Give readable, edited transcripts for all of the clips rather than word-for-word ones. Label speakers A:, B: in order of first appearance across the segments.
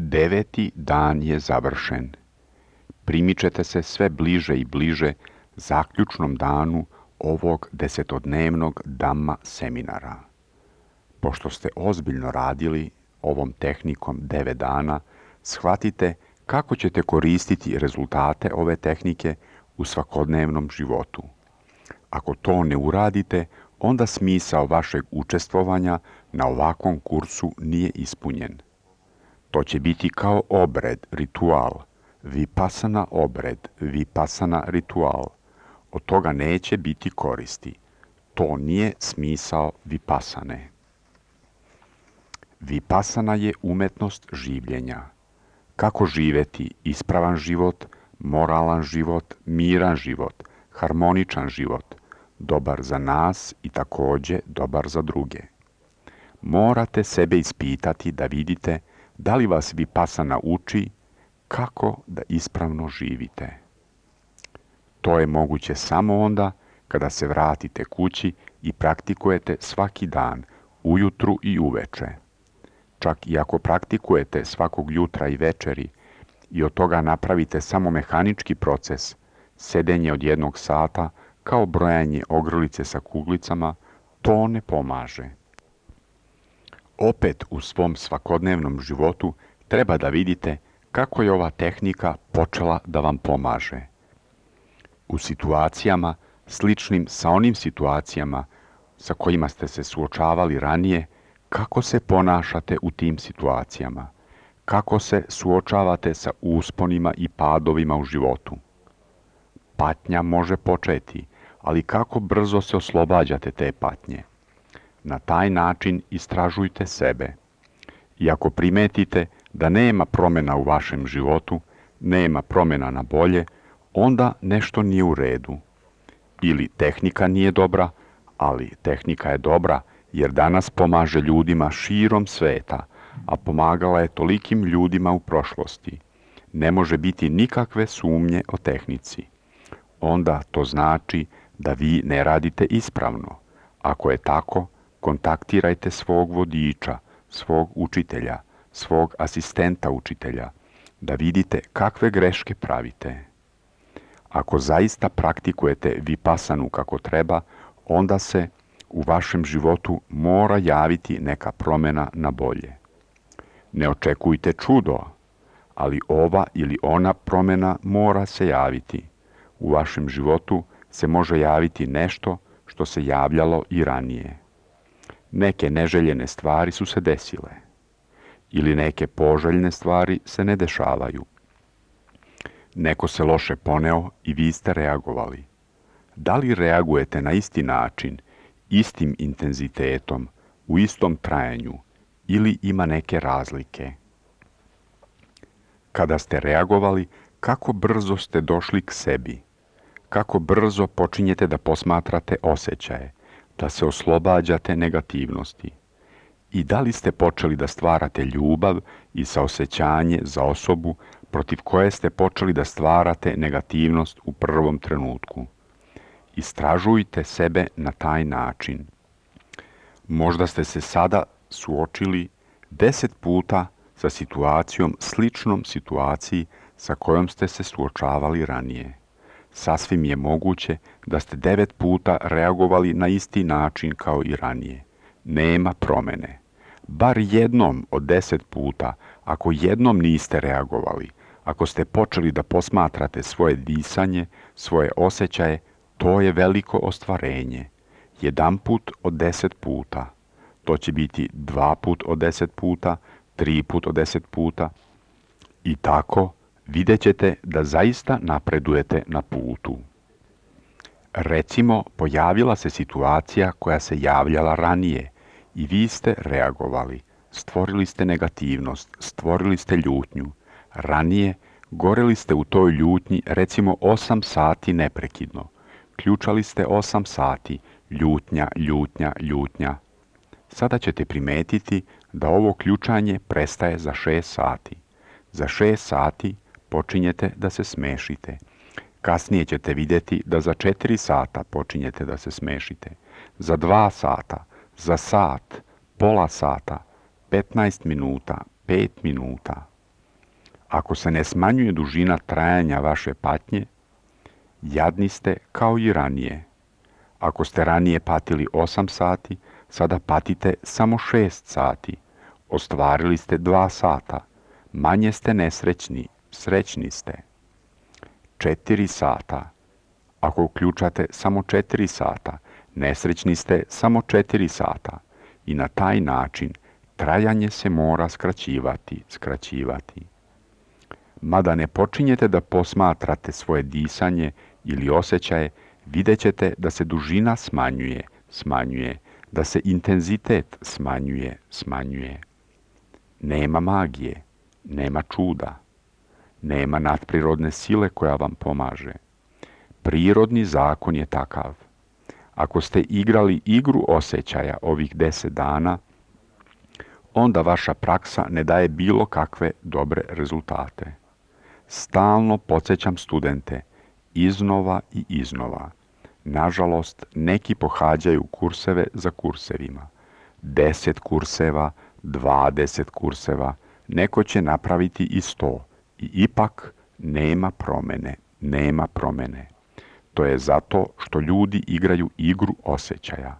A: 9. dan je završen. Primičete se sve bliže i bliže zaključnom danu ovog 10-dnevnog Dhamma seminara. Pošto ste ozbiljno radili ovom tehnikom 9 dana, shvatite kako ćete koristiti rezultate ove tehnike u svakodnevnom životu. Ako to ne uradite, onda smisao vašeg učestvovanja na ovakvom kursu nije ispunjen. To će biti kao obred, ritual, vipassana obred, vipassana ritual. Od toga neće biti koristi. To nije smisao vipassane. Vipassana je umetnost življenja. Kako živjeti ispravan život, moralan život, miran život, harmoničan život, dobar za nas i također dobar za druge. Morate sebe ispitati da vidite da li vas vipassana uči kako da ispravno živite. To je moguće samo onda kada se vratite kući i praktikujete svaki dan, ujutru i uveče. Čak i ako praktikujete svakog jutra i večeri i od toga napravite samo mehanički proces, sedenje od 1 sata kao brojanje ogrlice sa kuglicama, to ne pomaže. Opet u svom svakodnevnom životu treba da vidite kako je ova tehnika počela da vam pomaže. U situacijama sličnim sa onim situacijama sa kojima ste se suočavali ranije, kako se ponašate u tim situacijama, kako se suočavate sa usponima i padovima u životu. Patnja može početi, ali kako brzo se oslobađate te patnje. Na taj način istražujte sebe. I ako primetite da nema promjena u vašem životu, nema promjena na bolje, onda nešto nije u redu. Ili tehnika nije dobra, ali tehnika je dobra jer danas pomaže ljudima širom sveta, a pomagala je tolikim ljudima u prošlosti. Ne može biti nikakve sumnje o tehnici. Onda to znači da vi ne radite ispravno. Ako je tako, kontaktirajte svog vodiča, svog učitelja, svog asistenta učitelja, da vidite kakve greške pravite. Ako zaista praktikujete vipassanu kako treba, onda se u vašem životu mora javiti neka promjena na bolje. Ne očekujte čudo, ali ova ili ona promjena mora se javiti. U vašem životu se može javiti nešto što se javljalo i ranije. Neke neželjene stvari su se desile. Ili neke poželjne stvari se ne dešavaju. Neko se loše poneo i vi ste reagovali. Da li reagujete na isti način, istim intenzitetom, u istom trajanju ili ima neke razlike? Kada ste reagovali, kako brzo ste došli k sebi? Kako brzo počinjete da posmatrate osjećaje, da se oslobađate negativnosti? I da li ste počeli da stvarate ljubav i saosećanje za osobu protiv koje ste počeli da stvarate negativnost u prvom trenutku? Istražujte sebe na taj način. Možda ste se sada suočili 10 puta sa situacijom sličnom situaciji sa kojom ste se suočavali ranije. Sasvim je moguće da ste 9 puta reagovali na isti način kao i ranije. Nema promjene. Bar jednom od 10 puta, ako jednom niste reagovali, ako ste počeli da posmatrate svoje disanje, svoje osjećaje, to je veliko ostvarenje. 1 put od 10 puta. To će biti 2 put od 10 puta, 3 put od 10 puta. I tako vidjet ćete da zaista napredujete na putu. Recimo, pojavila se situacija koja se javljala ranije i vi ste reagovali. Stvorili ste negativnost, stvorili ste ljutnju. Ranije goreli ste u toj ljutnji recimo 8 sati neprekidno. Ključali ste 8 sati, ljutnja, ljutnja, ljutnja. Sada ćete primetiti da ovo ključanje prestaje za 6 sati. Za 6 sati počinjete da se smešite. Kasnije ćete vidjeti da za 4 sata počinjete da se smešite. Za 2 sata, za sat, pola sata, 15 minuta, 5 minuta. Ako se ne smanjuje dužina trajanja vaše patnje, jadni ste kao i ranije. Ako ste ranije patili 8 sati, sada patite samo 6 sati. Ostvarili ste 2 sata. Manje ste nesrećni, srećni ste. 4 sata. Ako uključate samo 4 sata, nesrećni ste samo 4 sata. I na taj način trajanje se mora skraćivati. Mada ne počinjete da posmatrate svoje disanje ili osjećaje, vidjet ćete da se dužina smanjuje, da se intenzitet smanjuje. Nema magije, nema čuda, nema nadprirodne sile koja vam pomaže. Prirodni zakon je takav. Ako ste igrali igru osjećaja ovih 10 dana, onda vaša praksa ne daje bilo kakve dobre rezultate. Stalno podsjećam studente, iznova i iznova. Nažalost, neki pohađaju kurseve za kursevima. 10 kurseva, 20 kurseva, neko će napraviti i 100. I ipak nema promene. To je zato što ljudi igraju igru osjećaja.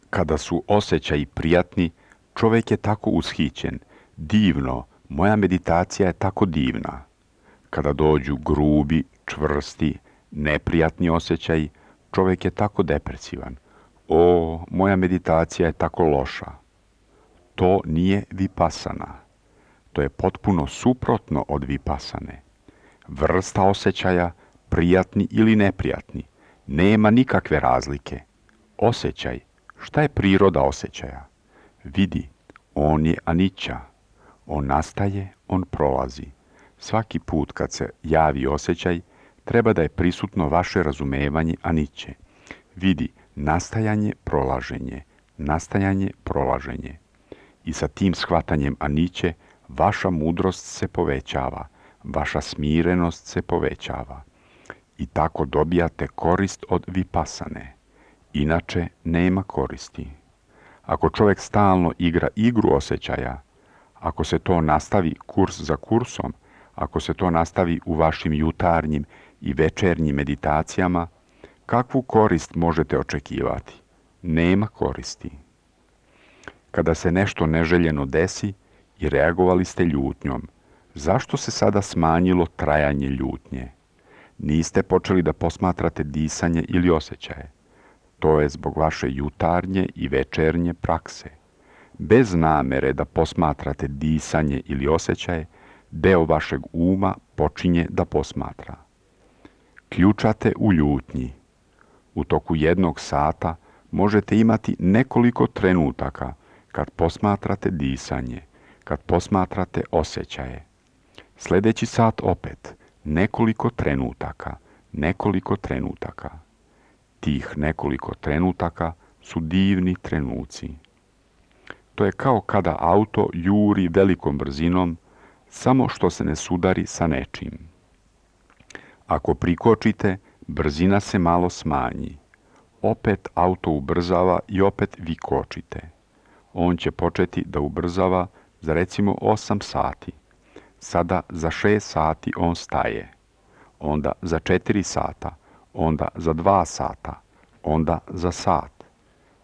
A: Kada su osjećaji prijatni, čovjek je tako ushićen. Divno, moja meditacija je tako divna. Kada dođu grubi, čvrsti, neprijatni osjećaji, čovjek je tako depresivan. O, moja meditacija je tako loša. To nije vipasana. To je potpuno suprotno od vipasane. Vrsta osjećaja, prijatni ili neprijatni, nema nikakve razlike. Osjećaj, šta je priroda osjećaja? Vidi, on je aniča. On nastaje, on prolazi. Svaki put kad se javi osjećaj, treba da je prisutno vaše razumevanje aniće. Vidi, nastajanje, prolaženje. I sa tim shvatanjem aniće, vaša mudrost se povećava, vaša smirenost se povećava. I tako dobijate korist od vipasane. Inače, nema koristi. Ako čovjek stalno igra igru osjećaja, ako se to nastavi kurs za kursom, ako se to nastavi u vašim jutarnjim i večernjim meditacijama, kakvu korist možete očekivati? Nema koristi. Kada se nešto neželjeno desi i reagovali ste ljutnjom, zašto se sada smanjilo trajanje ljutnje? Niste počeli da posmatrate disanje ili osjećaje. To je zbog vaše jutarnje i večernje prakse. Bez namere da posmatrate disanje ili osjećaje, deo vašeg uma počinje da posmatra. Ključate u ljutnji. U toku 1 sata možete imati nekoliko trenutaka kad posmatrate disanje, kad posmatrate osjećaje. Sljedeći sat opet, nekoliko trenutaka. Tih nekoliko trenutaka su divni trenuci. To je kao kada auto juri velikom brzinom, samo što se ne sudari sa nečim. Ako prikočite, brzina se malo smanji. Opet auto ubrzava i opet vi kočite. On će početi da ubrzava za recimo 8 sati. Sada za 6 sati on staje. Onda za 4 sata. Onda za 2 sata. Onda za sat.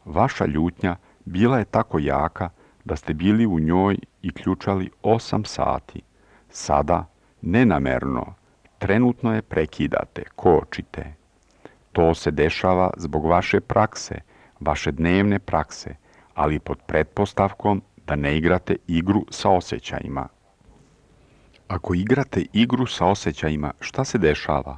A: Vaša ljutnja bila je tako jaka da ste bili u njoj i ključali 8 sati. Sada, nenamerno, trenutno je prekidate, kočite. To se dešava zbog vaše prakse, vaše dnevne prakse, ali pod pretpostavkom da ne igrate igru sa osjećajima. Ako igrate igru sa osjećajima, šta se dešava?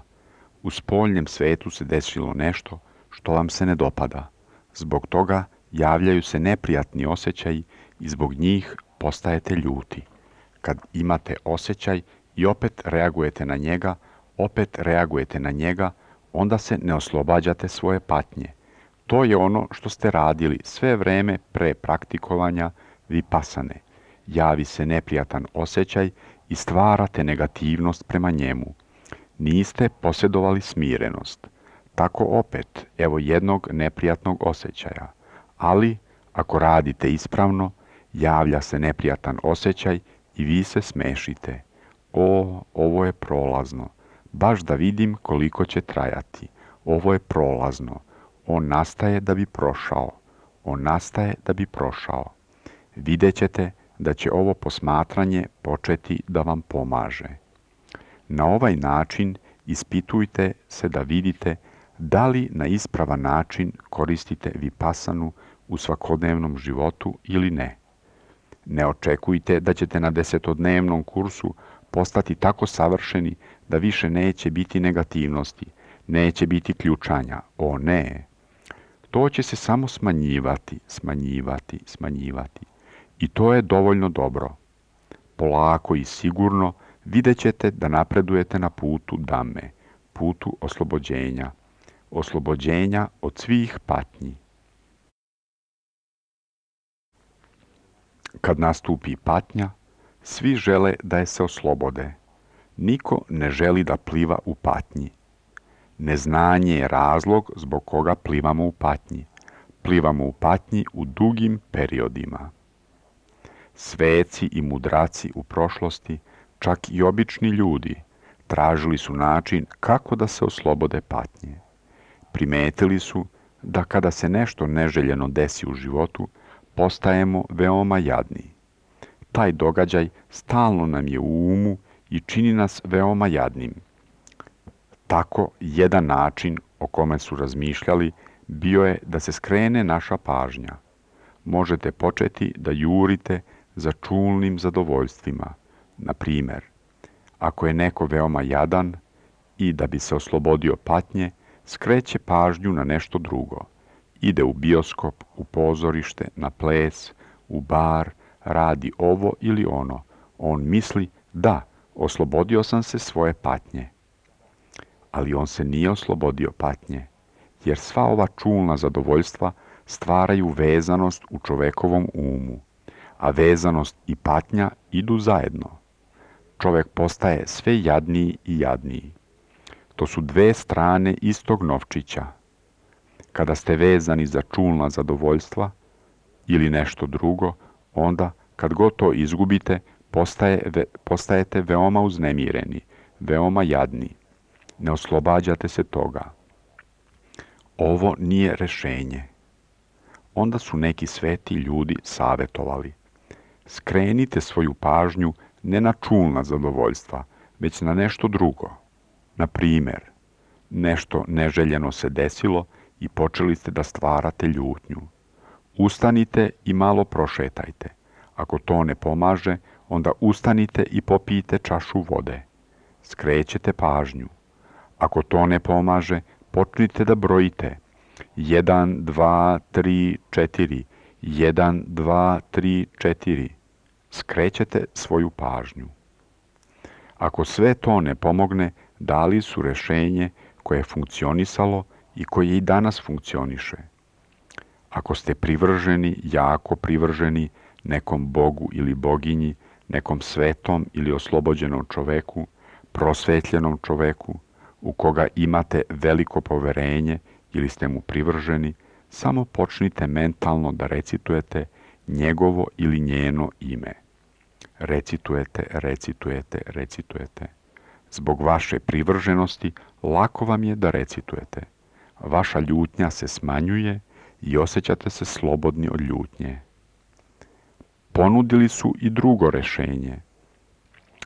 A: U spoljnem svetu se desilo nešto što vam se ne dopada. Zbog toga javljaju se neprijatni osjećaji i zbog njih postajete ljuti. Kad imate osjećaj i opet reagujete na njega, onda se ne oslobađate svoje patnje. To je ono što ste radili sve vreme pre praktikovanja vipasane. Javi se neprijatan osjećaj i stvarate negativnost prema njemu. Niste posjedovali smirenost. Tako opet, evo jednog neprijatnog osjećaja. Ali, ako radite ispravno, javlja se neprijatan osjećaj i vi se smešite. Ovo je prolazno. Baš da vidim koliko će trajati. Ovo je prolazno. On nastaje da bi prošao. On nastaje da bi prošao. Vidjet ćete da će ovo posmatranje početi da vam pomaže. Na ovaj način ispitujte se da vidite da li na ispravan način koristite vipasanu u svakodnevnom životu ili ne. Ne očekujte da ćete na 10-dnevnom kursu postati tako savršeni da više neće biti negativnosti, neće biti ključanja. O ne! To će se samo smanjivati. I to je dovoljno dobro. Polako i sigurno vidjet ćete da napredujete na putu Dhamme, putu oslobođenja od svih patnji. Kad nastupi patnja, svi žele da je se oslobode. Niko ne želi da pliva u patnji. Neznanje je razlog zbog koga plivamo u patnji. Plivamo u patnji u dugim periodima. Sveci i mudraci u prošlosti, čak i obični ljudi, tražili su način kako da se oslobode patnje. Primetili su da kada se nešto neželjeno desi u životu, postajemo veoma jadni. Taj događaj stalno nam je u umu i čini nas veoma jadnim. Tako, jedan način o kome su razmišljali bio je da se skrene naša pažnja. Možete početi da jurite za čulnim zadovoljstvima. Na primjer, ako je neko veoma jadan i da bi se oslobodio patnje, skreće pažnju na nešto drugo. Ide u bioskop, u pozorište, na ples, u bar, radi ovo ili ono. On misli, da, oslobodio sam se svoje patnje. Ali on se nije oslobodio patnje, jer sva ova čulna zadovoljstva stvaraju vezanost u čovekovom umu, a vezanost i patnja idu zajedno. Čovek postaje sve jadniji i jadniji. To su dve strane istog novčića. Kada ste vezani za čulna zadovoljstva ili nešto drugo, onda kad god to izgubite, postajete veoma uznemireni, veoma jadni. Ne oslobađate se toga. Ovo nije rešenje. Onda su neki sveti ljudi savjetovali. Skrenite svoju pažnju ne na čulna zadovoljstva, već na nešto drugo. Na primjer, nešto neželjeno se desilo i počeli ste da stvarate ljutnju. Ustanite i malo prošetajte. Ako to ne pomaže, onda ustanite i popijte čašu vode. Skrećete pažnju. Ako to ne pomaže, počnite da brojite. 1, 2, 3, 4. 1, 2, 3, 4. Skrećete svoju pažnju. Ako sve to ne pomogne, dali su rešenje koje je funkcionisalo i koje i danas funkcioniše. Ako ste privrženi, jako privrženi nekom bogu ili boginji, nekom svetom ili oslobođenom čoveku, prosvetljenom čoveku, u koga imate veliko poverenje ili ste mu privrženi, samo počnite mentalno da recitujete njegovo ili njeno ime. Recitujete. Zbog vaše privrženosti lako vam je da recitujete. Vaša ljutnja se smanjuje i osjećate se slobodni od ljutnje. Ponudili su i drugo rešenje.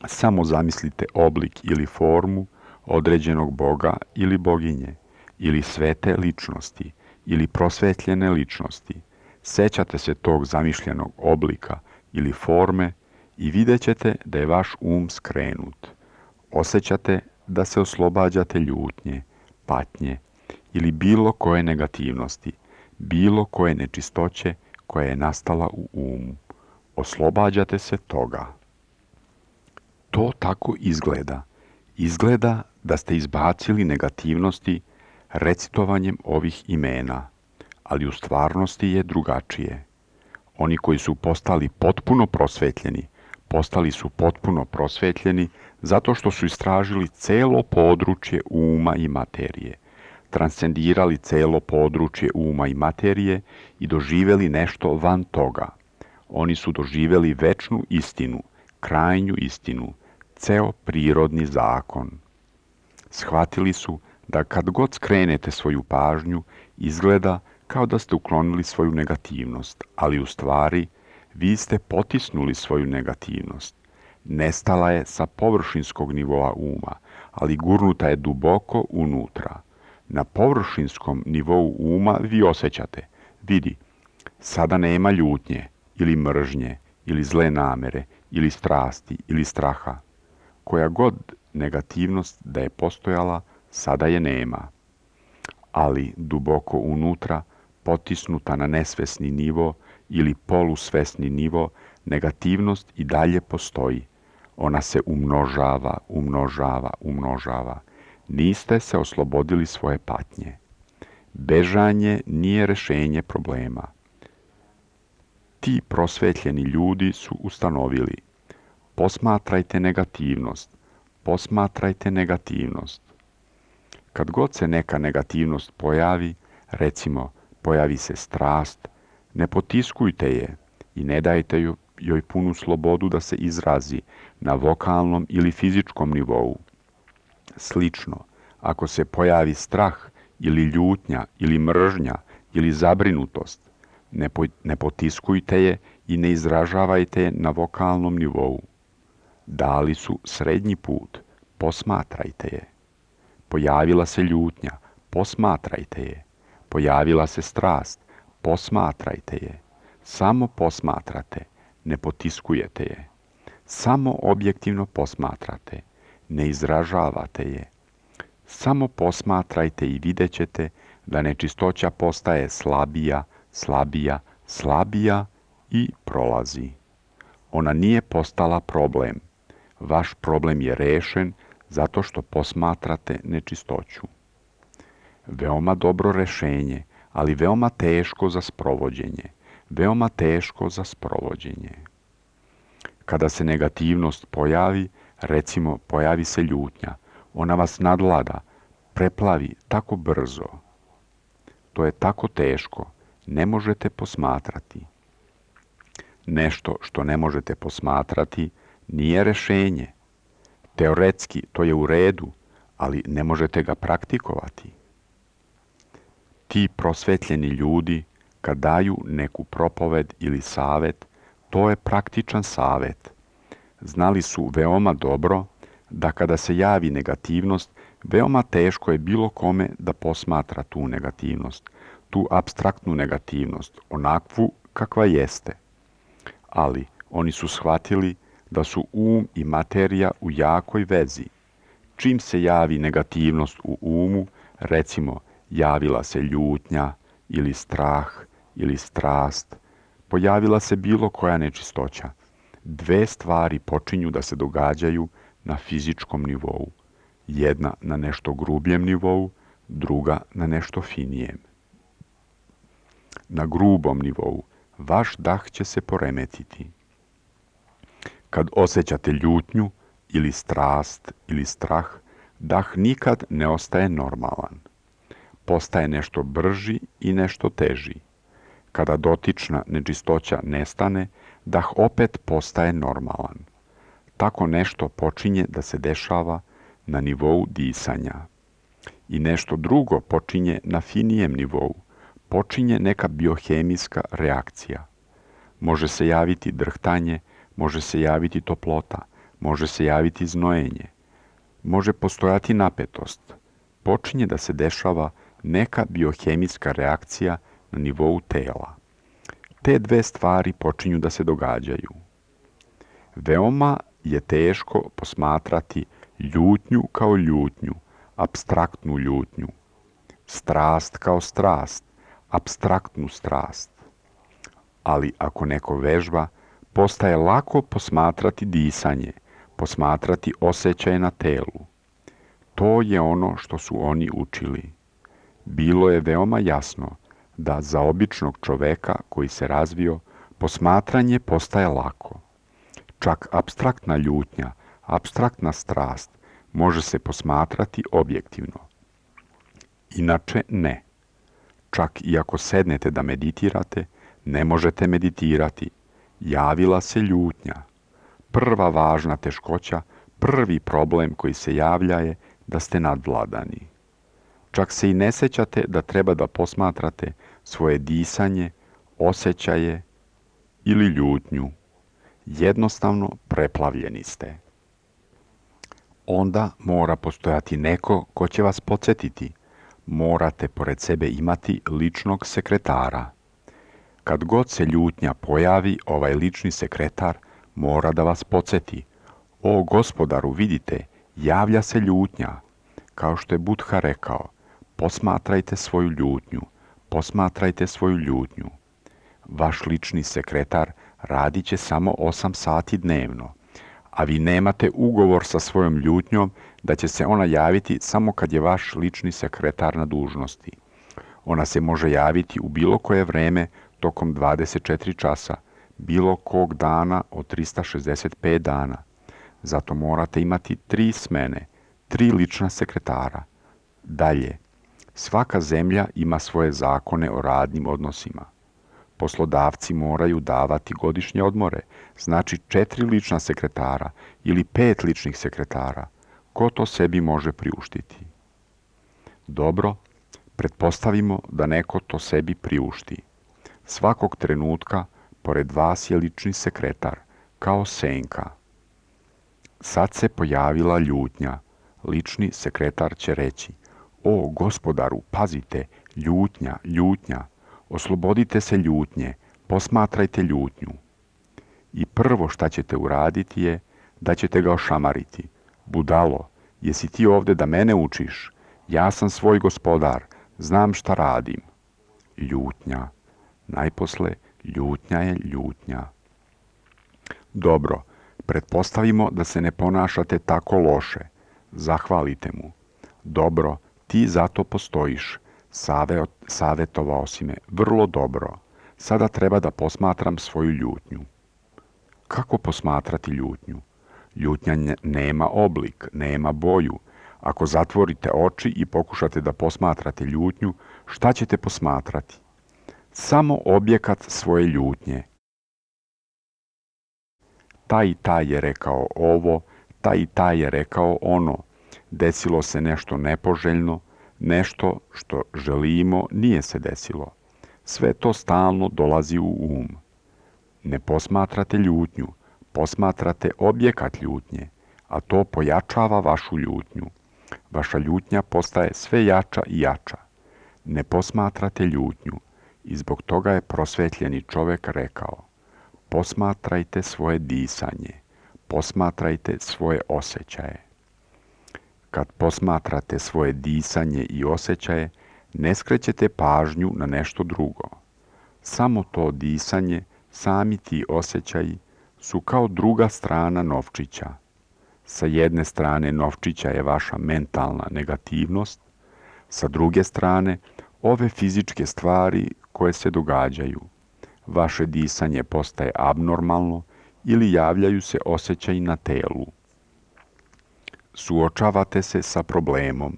A: Samo zamislite oblik ili formu određenog boga ili boginje, ili svete ličnosti, ili prosvetljene ličnosti. Sećate se tog zamišljenog oblika ili forme i vidjet ćete da je vaš um skrenut. Osjećate da se oslobađate ljutnje, patnje ili bilo koje negativnosti, bilo koje nečistoće koja je nastala u umu. Oslobađate se toga. To tako izgleda. Izgleda da ste izbacili negativnosti recitovanjem ovih imena, ali u stvarnosti je drugačije. Oni koji su postali potpuno prosvetljeni zato što su istražili celo područje uma i materije, transcendirali celo područje uma i materije i doživjeli nešto van toga. Oni su doživjeli večnu istinu, krajnju istinu, ceo prirodni zakon. Shvatili su da kad god skrenete svoju pažnju, izgleda kao da ste uklonili svoju negativnost, ali u stvari vi ste potisnuli svoju negativnost. Nestala je sa površinskog nivoa uma, ali gurnuta je duboko unutra. Na površinskom nivou uma vi osjećate, vidi, sada nema ljutnje, ili mržnje, ili zle namere, ili strasti, ili straha. Koja god negativnost da je postojala, sada je nema. Ali duboko unutra, potisnuta na nesvesni nivo ili polusvesni nivo, negativnost i dalje postoji. Ona se umnožava, umnožava, umnožava. Niste se oslobodili svoje patnje. Bežanje nije rešenje problema. Ti prosvetljeni ljudi su ustanovili: posmatrajte negativnost, posmatrajte negativnost. Kad god se neka negativnost pojavi, recimo pojavi se strast, ne potiskujte je i ne dajte joj punu slobodu da se izrazi na vokalnom ili fizičkom nivou. Slično, ako se pojavi strah ili ljutnja ili mržnja ili zabrinutost, ne potiskujte je i ne izražavajte je na vokalnom nivou. Dali su srednji put, posmatrajte je. Pojavila se ljutnja, posmatrajte je. Pojavila se strast, posmatrajte je. Samo posmatrate, ne potiskujete je. Samo objektivno posmatrate, ne izražavate je. Samo posmatrajte i vidjet ćete da nečistoća postaje slabija, slabija, slabija i prolazi. Ona nije postala problem. Vaš problem je rešen zato što posmatrate nečistoću. Veoma dobro rešenje, ali veoma teško za sprovođenje. Veoma teško za sprovođenje. Kada se negativnost pojavi, recimo pojavi se ljutnja, ona vas nadvlada, preplavi tako brzo. To je tako teško, ne možete posmatrati. Nešto što ne možete posmatrati nije rešenje. Teoretski to je u redu, ali ne možete ga praktikovati. Ti prosvetljeni ljudi, kad daju neku propoved ili savet, to je praktičan savet. Znali su veoma dobro da kada se javi negativnost, veoma teško je bilo kome da posmatra tu negativnost, tu apstraktnu negativnost, onakvu kakva jeste. Ali oni su shvatili da su um i materija u jakoj vezi. Čim se javi negativnost u umu, recimo javila se ljutnja ili strah ili strast, pojavila se bilo koja nečistoća, dve stvari počinju da se događaju na fizičkom nivou. Jedna na nešto grubljem nivou, druga na nešto finijem. Na grubom nivou vaš dah će se poremetiti. Kad osjećate ljutnju ili strast ili strah, dah nikad ne ostaje normalan. Postaje nešto brži i nešto teži. Kada dotična nečistoća nestane, dah opet postaje normalan. Tako nešto počinje da se dešava na nivou disanja. I nešto drugo počinje na finijem nivou. Počinje neka biohemijska reakcija. Može se javiti drhtanje, može se javiti toplota, može se javiti znojenje. Može postojati napetost. Počinje da se dešava neka biohemijska reakcija na nivou tela. Te dve stvari počinju da se događaju. Veoma je teško posmatrati ljutnju kao ljutnju, apstraktnu ljutnju. Strast kao strast, apstraktnu strast. Ali ako neko vežba, postaje lako posmatrati disanje, posmatrati osjećaje na telu. To je ono što su oni učili. Bilo je veoma jasno da za običnog čoveka koji se razvio, posmatranje postaje lako. Čak apstraktna ljutnja, apstraktna strast može se posmatrati objektivno. Inače ne. Čak i ako sednete da meditirate, ne možete meditirati. Javila se ljutnja. Prva važna teškoća Prvi problem koji se javlja je da ste nadvladani. Čak se i ne sjećate da treba da posmatrate svoje disanje, osjećaje ili ljutnju. Jednostavno preplavljeni ste. Onda mora postojati neko ko će vas podsjetiti. Morate pored sebe imati ličnog sekretara. Kad god se ljutnja pojavi, ovaj lični sekretar mora da vas podsjeti. O gospodaru, vidite, javlja se ljutnja. Kao što je Buddha rekao, posmatrajte svoju ljutnju, posmatrajte svoju ljutnju. Vaš lični sekretar radit će samo 8 sati dnevno, a vi nemate ugovor sa svojom ljutnjom da će se ona javiti samo kad je vaš lični sekretar na dužnosti. Ona se može javiti u bilo koje vreme tokom 24 časa, bilo kog dana od 365 dana. Zato morate imati 3 smene, 3 lična sekretara. Dalje, svaka zemlja ima svoje zakone o radnim odnosima. Poslodavci moraju davati godišnje odmore, znači 4 lična sekretara ili 5 ličnih sekretara. Ko to sebi može priuštiti? Dobro, pretpostavimo da neko to sebi priušti. Svakog trenutka pored vas je lični sekretar, kao senka. Sad se pojavila ljutnja. Lični sekretar će reći: O gospodaru, pazite, ljutnja, ljutnja. Oslobodite se ljutnje, posmatrajte ljutnju. I prvo šta ćete uraditi je da ćete ga ošamariti. Budalo, jesi ti ovdje da mene učiš? Ja sam svoj gospodar, znam šta radim. Ljutnja. Najposle, ljutnja je ljutnja. Dobro, pretpostavimo da se ne ponašate tako loše. Zahvalite mu. Dobro, ti zato postojiš. Savjetovao si me vrlo dobro. Sada treba da posmatram svoju ljutnju. Kako posmatrati ljutnju? Ljutnja nema oblik, nema boju. Ako zatvorite oči i pokušate da posmatrate ljutnju, šta ćete posmatrati? Samo objekat svoje ljutnje. Taj i taj je rekao ovo, taj i taj je rekao ono. Desilo se nešto nepoželjno, nešto što želimo nije se desilo. Sve to stalno dolazi u um. Ne posmatrate ljutnju, posmatrate objekat ljutnje, a to pojačava vašu ljutnju. Vaša ljutnja postaje sve jača i jača. Ne posmatrate ljutnju i zbog toga je prosvetljeni čovjek rekao: posmatrajte svoje disanje, posmatrajte svoje osjećaje. Kad posmatrate svoje disanje i osjećaje, ne skrećete pažnju na nešto drugo. Samo to disanje, sami ti osjećaji su kao druga strana novčića. Sa jedne strane novčića je vaša mentalna negativnost, sa druge strane ove fizičke stvari koje se događaju. Vaše disanje postaje abnormalno ili javljaju se osjećaji na telu. Suočavate se sa problemom.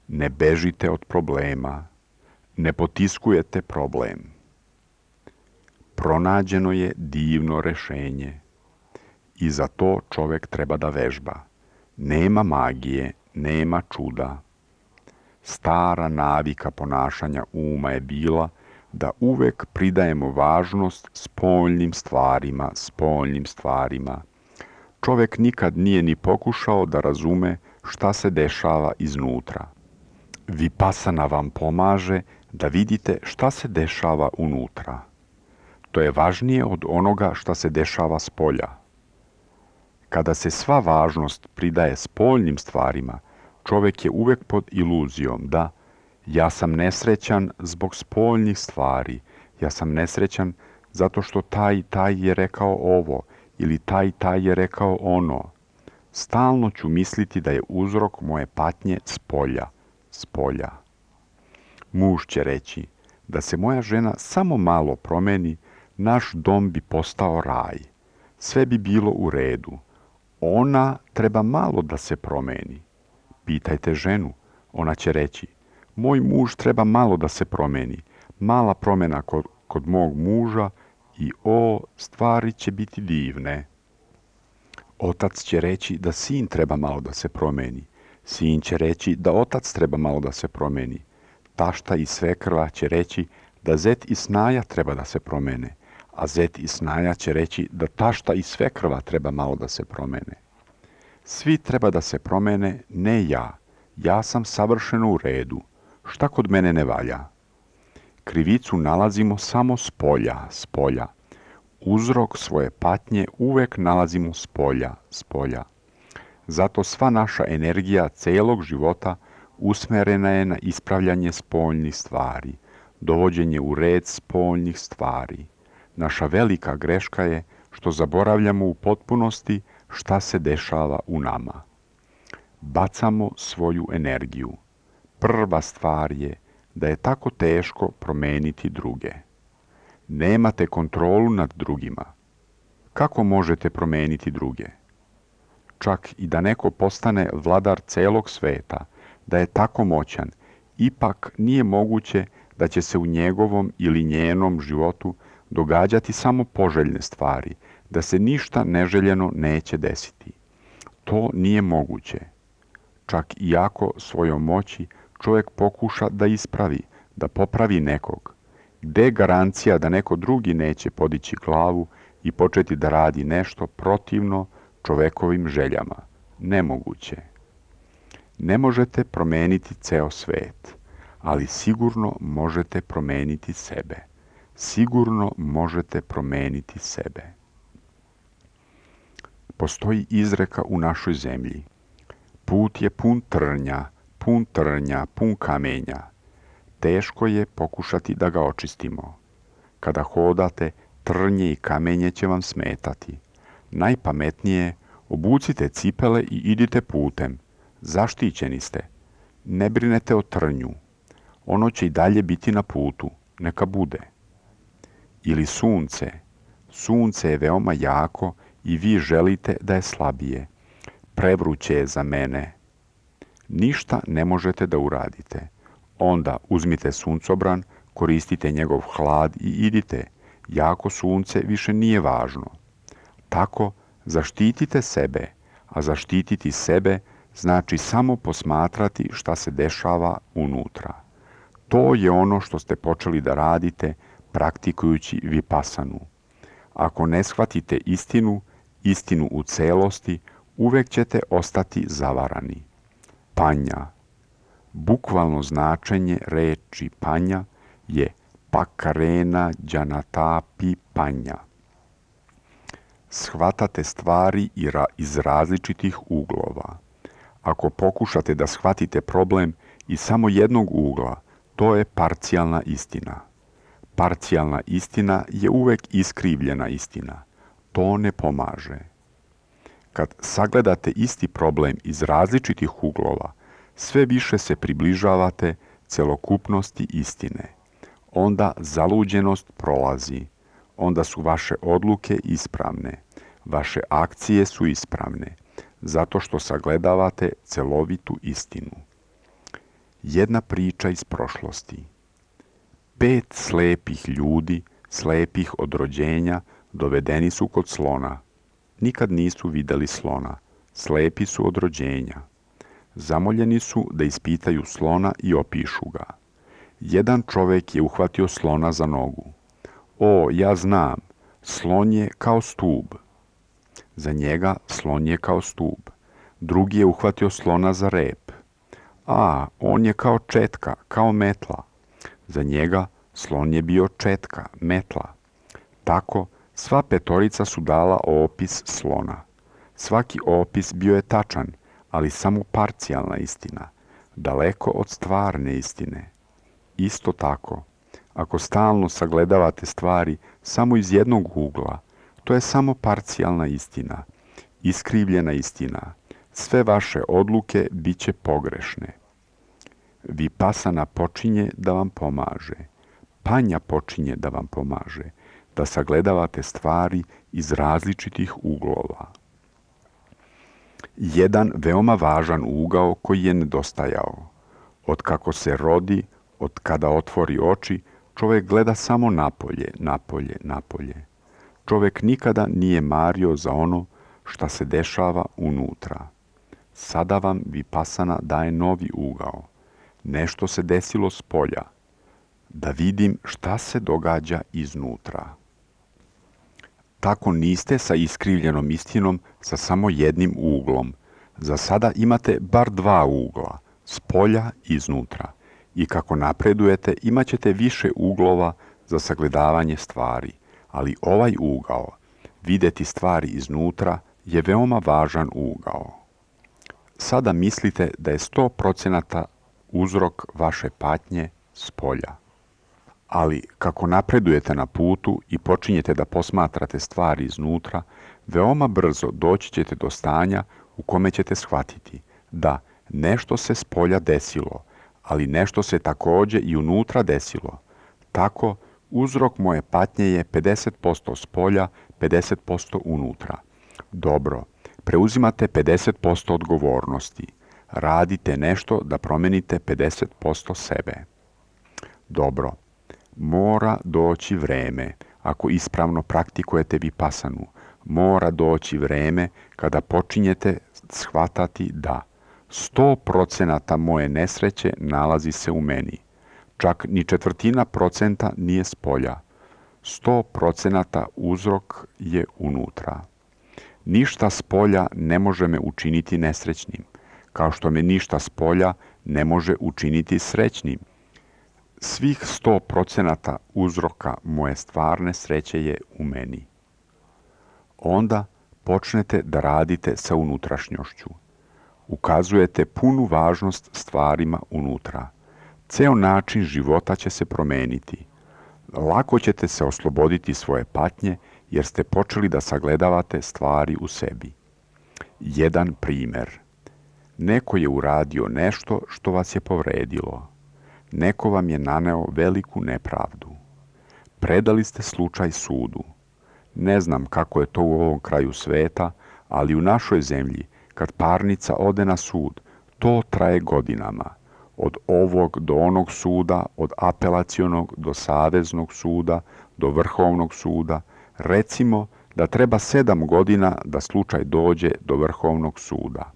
A: Ne bežite od problema. Ne potiskujete problem. Pronađeno je divno rešenje. I za to čovjek treba da vežba. Nema magije, nema čuda. Stara navika ponašanja uma je bila da uvek pridajemo važnost spoljnim stvarima. Čovjek nikad nije ni pokušao da razume šta se dešava iznutra. Vipassana vam pomaže da vidite šta se dešava unutra. To je važnije od onoga šta se dešava spolja. Kada se sva važnost pridaje spoljnim stvarima, čovjek je uvek pod iluzijom da ja sam nesrećan zbog spoljnih stvari, ja sam nesrećan zato što taj i taj je rekao ovo ili taj i taj je rekao ono. Stalno ću misliti da je uzrok moje patnje spolja. Muž će reći: da se moja žena samo malo promeni, naš dom bi postao raj. Sve bi bilo u redu. Ona treba malo da se promeni. Pitajte ženu, ona će reći: moj muž treba malo da se promeni. Mala promjena kod mog muža i stvari će biti divne. Otac će reći da sin treba malo da se promeni. Sin će reći da otac treba malo da se promeni. Tašta i svekrva će reći da zet i snaja treba da se promene, a zet i snaja će reći da tašta i svekrva treba malo da se promene. Svi treba da se promene, ne ja. Ja sam savršeno u redu. Šta kod mene ne valja? Krivicu nalazimo samo spolja. Uzrok svoje patnje uvek nalazimo spolja. Zato sva naša energija celog života usmerena je na ispravljanje spoljnih stvari, dovođenje u red spoljnih stvari. Naša velika greška je što zaboravljamo u potpunosti šta se dešava u nama. Bacamo svoju energiju. Prva stvar je da je tako teško promeniti druge. Nemate kontrolu nad drugima. Kako možete promeniti druge? Čak i da neko postane vladar celog sveta, da je tako moćan, ipak nije moguće da će se u njegovom ili njenom životu događati samo poželjne stvari, da se ništa neželjeno neće desiti. To nije moguće. Čak i ako svojom moći čovjek pokuša da ispravi, da popravi nekog, gde je garancija da neko drugi neće podići glavu i početi da radi nešto protivno čovekovim željama? Nemoguće. Ne možete promeniti ceo svet, ali sigurno možete promeniti sebe. Sigurno možete promeniti sebe. Postoji izreka u našoj zemlji. Put je pun trnja, pun kamenja. Teško je pokušati da ga očistimo. Kada hodate, trnje i kamenje će vam smetati. Najpametnije je obucite cipele i idite putem. Zaštićeni ste. Ne brinete o trnju. Ono će i dalje biti na putu. Neka bude. Ili sunce. Sunce je veoma jako i vi želite da je slabije. Prevruće je za mene. Ništa ne možete da uradite. Onda uzmite suncobran, koristite njegov hlad i idite. Jako sunce više nije važno. Tako zaštitite sebe, a zaštititi sebe znači samo posmatrati šta se dešava unutra. To je ono što ste počeli da radite praktikujući vipasanu. Ako ne shvatite istinu u celosti, uvek ćete ostati zavarani. Panja. Bukvalno značenje reči panja je pakarena džanatapi panja. Shvatate stvari iz različitih uglova. Ako pokušate da shvatite problem iz samo jednog ugla, to je parcijalna istina. Parcijalna istina je uvek iskrivljena istina. To ne pomaže. Kad sagledate isti problem iz različitih uglova, sve više se približavate celokupnosti istine. Onda zaluđenost prolazi. Onda su vaše odluke ispravne. Vaše akcije su ispravne, zato što sagledavate celovitu istinu. Jedna priča iz prošlosti. 5 slepih ljudi, slepih od rođenja, dovedeni su kod slona. Nikad nisu videli slona. Slepi su od rođenja. Zamoljeni su da ispitaju slona i opišu ga. Jedan čovek je uhvatio slona za nogu. O, ja znam, slon je kao stub. Za njega slon je kao stub. Drugi je uhvatio slona za rep. A, on je kao četka, kao metla. Za njega slon je bio četka, metla. Tako, sva petorica su dala opis slona. Svaki opis bio je tačan, ali samo parcijalna istina, daleko od stvarne istine. Isto tako, ako stalno sagledavate stvari samo iz jednog ugla, to je samo parcijalna istina, iskrivljena istina. Sve vaše odluke bit će pogrešne. Vipasana počinje da vam pomaže. Panja počinje da vam pomaže, da sagledavate stvari iz različitih uglova. Jedan veoma važan ugao koji je nedostajao. Od kako se rodi, od kada otvori oči, čovjek gleda samo napolje. Čovjek nikada nije mario za ono šta se dešava unutra. Sada vam Vipassana daje novi ugao. Nešto se desilo s polja. Da vidim šta se događa iznutra. Tako niste sa iskrivljenom istinom sa samo jednim uglom. Za sada imate bar dva ugla, s polja i iznutra. I kako napredujete imat ćete više uglova za sagledavanje stvari. Ali ovaj ugao, vidjeti stvari iznutra, je veoma važan ugao. Sada mislite da je 100% uzrok vaše patnje s polja. Ali kako napredujete na putu i počinjete da posmatrate stvari iznutra, veoma brzo doći ćete do stanja u kome ćete shvatiti da nešto se s polja desilo, ali nešto se također i unutra desilo. Tako, uzrok moje patnje je 50% s polja, 50% unutra. Dobro, preuzimate 50% odgovornosti. Radite nešto da promenite 50% sebe. Dobro, mora doći vreme, ako ispravno praktikujete Vipassanu, mora doći vreme kada počinjete shvatati da 100% moje nesreće nalazi se u meni. Čak ni 1/4% nije s polja. 100% uzrok je unutra. Ništa s polja ne može me učiniti nesrećnim, kao što me ništa s polja ne može učiniti srećnim. Svih 100% uzroka moje stvarne sreće je u meni. Onda počnete da radite sa unutrašnjošću. Ukazujete punu važnost stvarima unutra. Ceo način života će se promeniti. Lako ćete se osloboditi svoje patnje jer ste počeli da sagledavate stvari u sebi. Jedan primjer. Neko je uradio nešto što vas je povredilo. Neko vam je naneo veliku nepravdu. Predali ste slučaj sudu. Ne znam kako je to u ovom kraju sveta, ali u našoj zemlji, kad parnica ode na sud, to traje godinama. Od ovog do onog suda, od apelacionog do saveznog suda, do vrhovnog suda. Recimo da treba 7 godina da slučaj dođe do vrhovnog suda.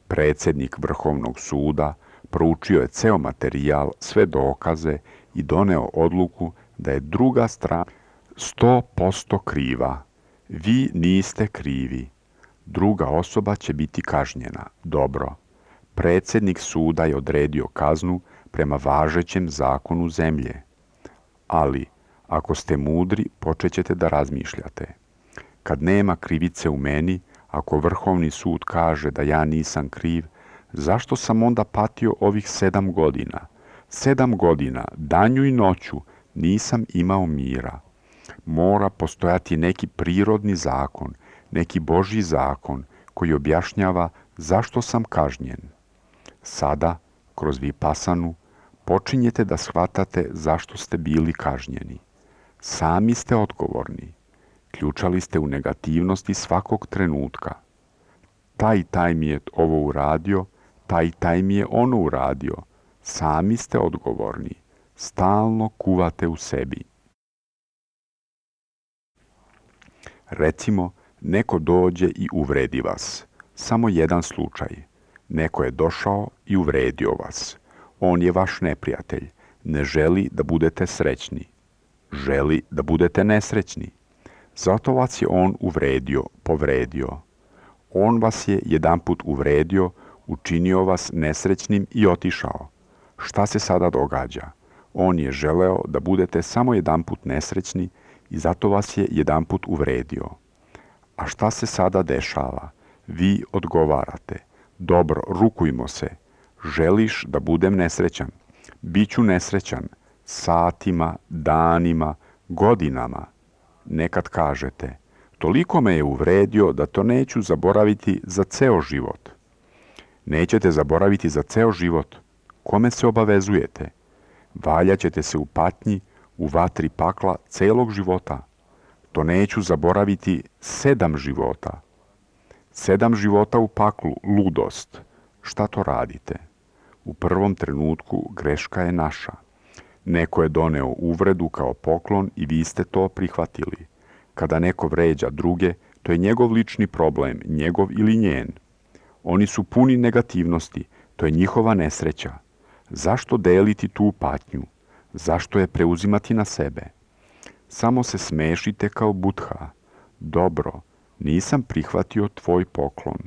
A: Predsjednik vrhovnog suda proučio je ceo materijal, sve dokaze i doneo odluku da je druga strana 100% kriva. Vi niste krivi. Druga osoba će biti kažnjena. Dobro. Predsjednik suda je odredio kaznu prema važećem zakonu zemlje. Ali, ako ste mudri, počet ćete da razmišljate. Kad nema krivice u meni, ako vrhovni sud kaže da ja nisam kriv, zašto sam onda patio ovih 7 godina? 7 godina, danju i noću, nisam imao mira. Mora postojati neki prirodni zakon, neki Božji zakon koji objašnjava zašto sam kažnjen. Sada, kroz Vipassanu, počinjete da shvatate zašto ste bili kažnjeni. Sami ste odgovorni. Ključali ste u negativnosti svakog trenutka. Taj mi je ovo uradio, taj mi je ono uradio. Sami ste odgovorni. Stalno kuvate u sebi. Recimo, neko dođe i uvredi vas. Samo jedan slučaj. Neko je došao i uvredio vas. On je vaš neprijatelj. Ne želi da budete srećni. Želi da budete nesrećni. Zato vas je on uvredio, povredio. On vas je jedanput uvredio, učinio vas nesrećnim i otišao. Šta se sada događa? On je želeo da budete samo jedanput nesrećni i zato vas je jedanput uvredio. A šta se sada dešava? Vi odgovarate. Dobro, rukujmo se. Želiš da budem nesrećan? Biću nesrećan. Satima, danima, godinama. Nekad kažete, toliko me je uvredio da to neću zaboraviti za ceo život. Nećete zaboraviti za ceo život. Kome se obavezujete? Valjaćete se u patnji, u vatri pakla celog života. To neću zaboraviti 7 života. 7 života u paklu, ludost. Šta to radite? U prvom trenutku greška je naša. Neko je doneo uvredu kao poklon i vi ste to prihvatili. Kada neko vređa druge, To je njegov lični problem, njegov ili njen. Oni su puni negativnosti, to je njihova nesreća. Zašto deliti tu patnju? Zašto je preuzimati na sebe? Samo se smešite kao Budha. Dobro, nisam prihvatio tvoj poklon.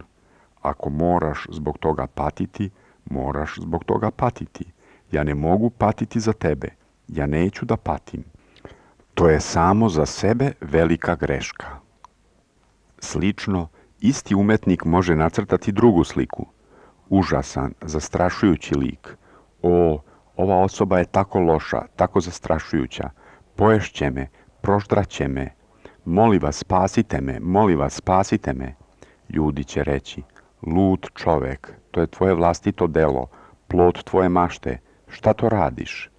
A: Ako moraš zbog toga patiti, moraš zbog toga patiti. Ja ne mogu patiti za tebe. Ja neću da patim. To je samo za sebe velika greška. Slično, isti umetnik može nacrtati drugu sliku. Užasan, zastrašujući lik. O, ova osoba je tako loša, tako zastrašujuća. Poješće me, proždraće me. Molim vas, spasite me, molim vas, spasite me. Ljudi će reći, lud čovek, to je tvoje vlastito delo, plod tvoje mašte, šta to radiš?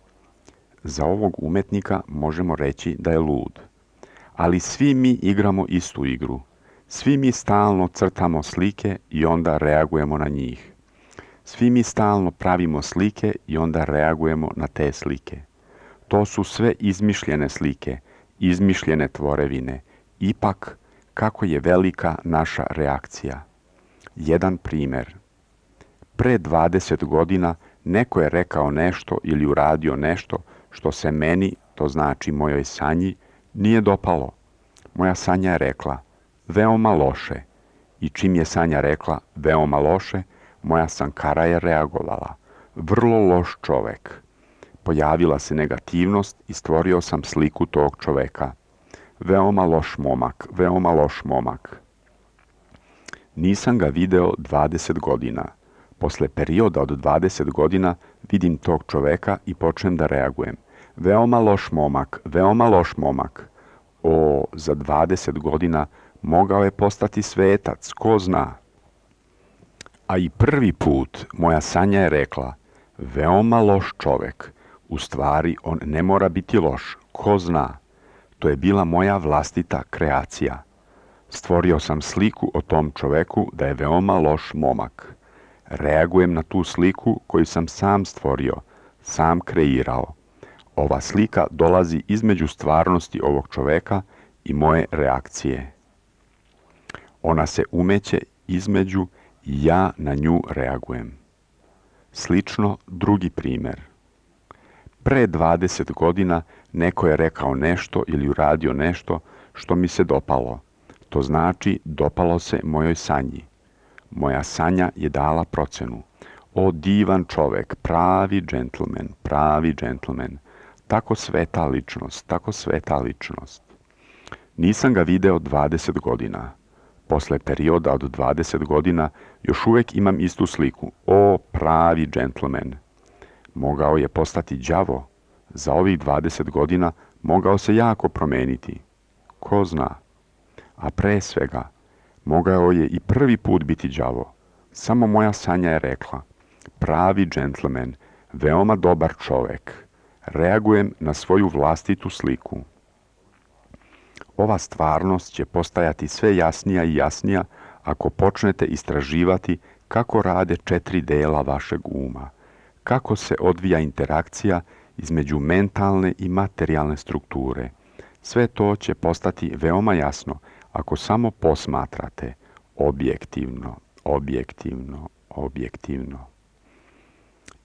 A: Za ovog umetnika možemo reći da je lud. Ali svi mi igramo istu igru. Svi mi stalno crtamo slike i onda reagujemo na njih. Svi mi stalno pravimo slike i onda reagujemo na te slike. To su sve izmišljene slike, izmišljene tvorevine. Ipak, kako je velika naša reakcija. Jedan primjer. Pre 20 godina neko je rekao nešto ili uradio nešto što se meni, to znači mojoj sanji, nije dopalo. Moja sanja je rekla, veoma loše. I čim je sanja rekla, veoma loše, moja sankara je reagovala. Vrlo loš čovek. Pojavila se negativnost i stvorio sam sliku tog čoveka. Veoma loš momak, veoma loš momak. Nisam ga video 20 godina. Posle perioda od 20 godina vidim tog čoveka i počnem da reagujem. Veoma loš momak, veoma loš momak. O, za 20 godina mogao je postati svetac, ko zna. A i prvi put moja sanja je rekla, veoma loš čovek. U stvari, on ne mora biti loš, ko zna. To je bila moja vlastita kreacija. Stvorio sam sliku o tom čoveku da je veoma loš momak. Reagujem na tu sliku koju sam sam stvorio, sam kreirao. Ova slika dolazi između stvarnosti ovog čoveka i moje reakcije. Ona se umeće između i ja na nju reagujem. Slično, drugi primjer. Pre 20 godina neko je rekao nešto ili uradio nešto što mi se dopalo. To znači dopalo se mojoj sanji. Moja sanja je dala procenu. O divan čovek, pravi džentlmen, pravi džentlmen. Tako sveta ličnost, tako sveta ličnost. Nisam ga video 20 godina. Posle perioda od 20 godina još uvek imam istu sliku. O pravi džentlmen. Mogao je postati đavo. Za ovih 20 godina mogao se jako promeniti. Ko zna? A pre svega, mogao je i prvi put biti đavo. Samo moja sanja je rekla, pravi džentlmen, veoma dobar čovek. Reagujem na svoju vlastitu sliku. Ova stvarnost će postajati sve jasnija i jasnija ako počnete istraživati kako rade 4 dela vašeg uma, kako se odvija interakcija između mentalne i materijalne strukture. Sve to će postati veoma jasno ako samo posmatrate objektivno, objektivno, objektivno.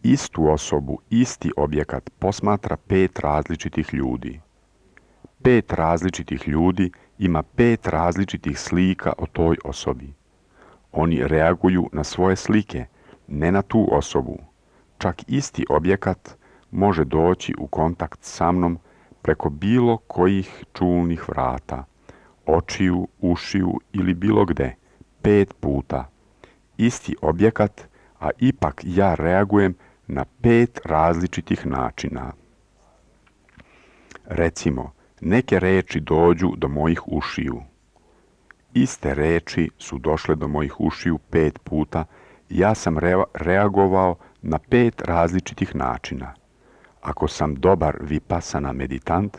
A: Istu osobu, isti objekat posmatra 5 različitih ljudi. 5 različitih ljudi ima 5 različitih slika o toj osobi. Oni reaguju na svoje slike, ne na tu osobu. Čak isti objekat može doći u kontakt sa mnom preko bilo kojih čulnih vrata, očiju, ušiju ili bilo gde, 5 puta. Isti objekat, a ipak ja reagujem na 5 različitih načina. Recimo, neke reči dođu do mojih ušiju. Iste reči su došle do mojih ušiju 5 puta i ja sam reagovao na 5 različitih načina. Ako sam dobar vipassana meditant,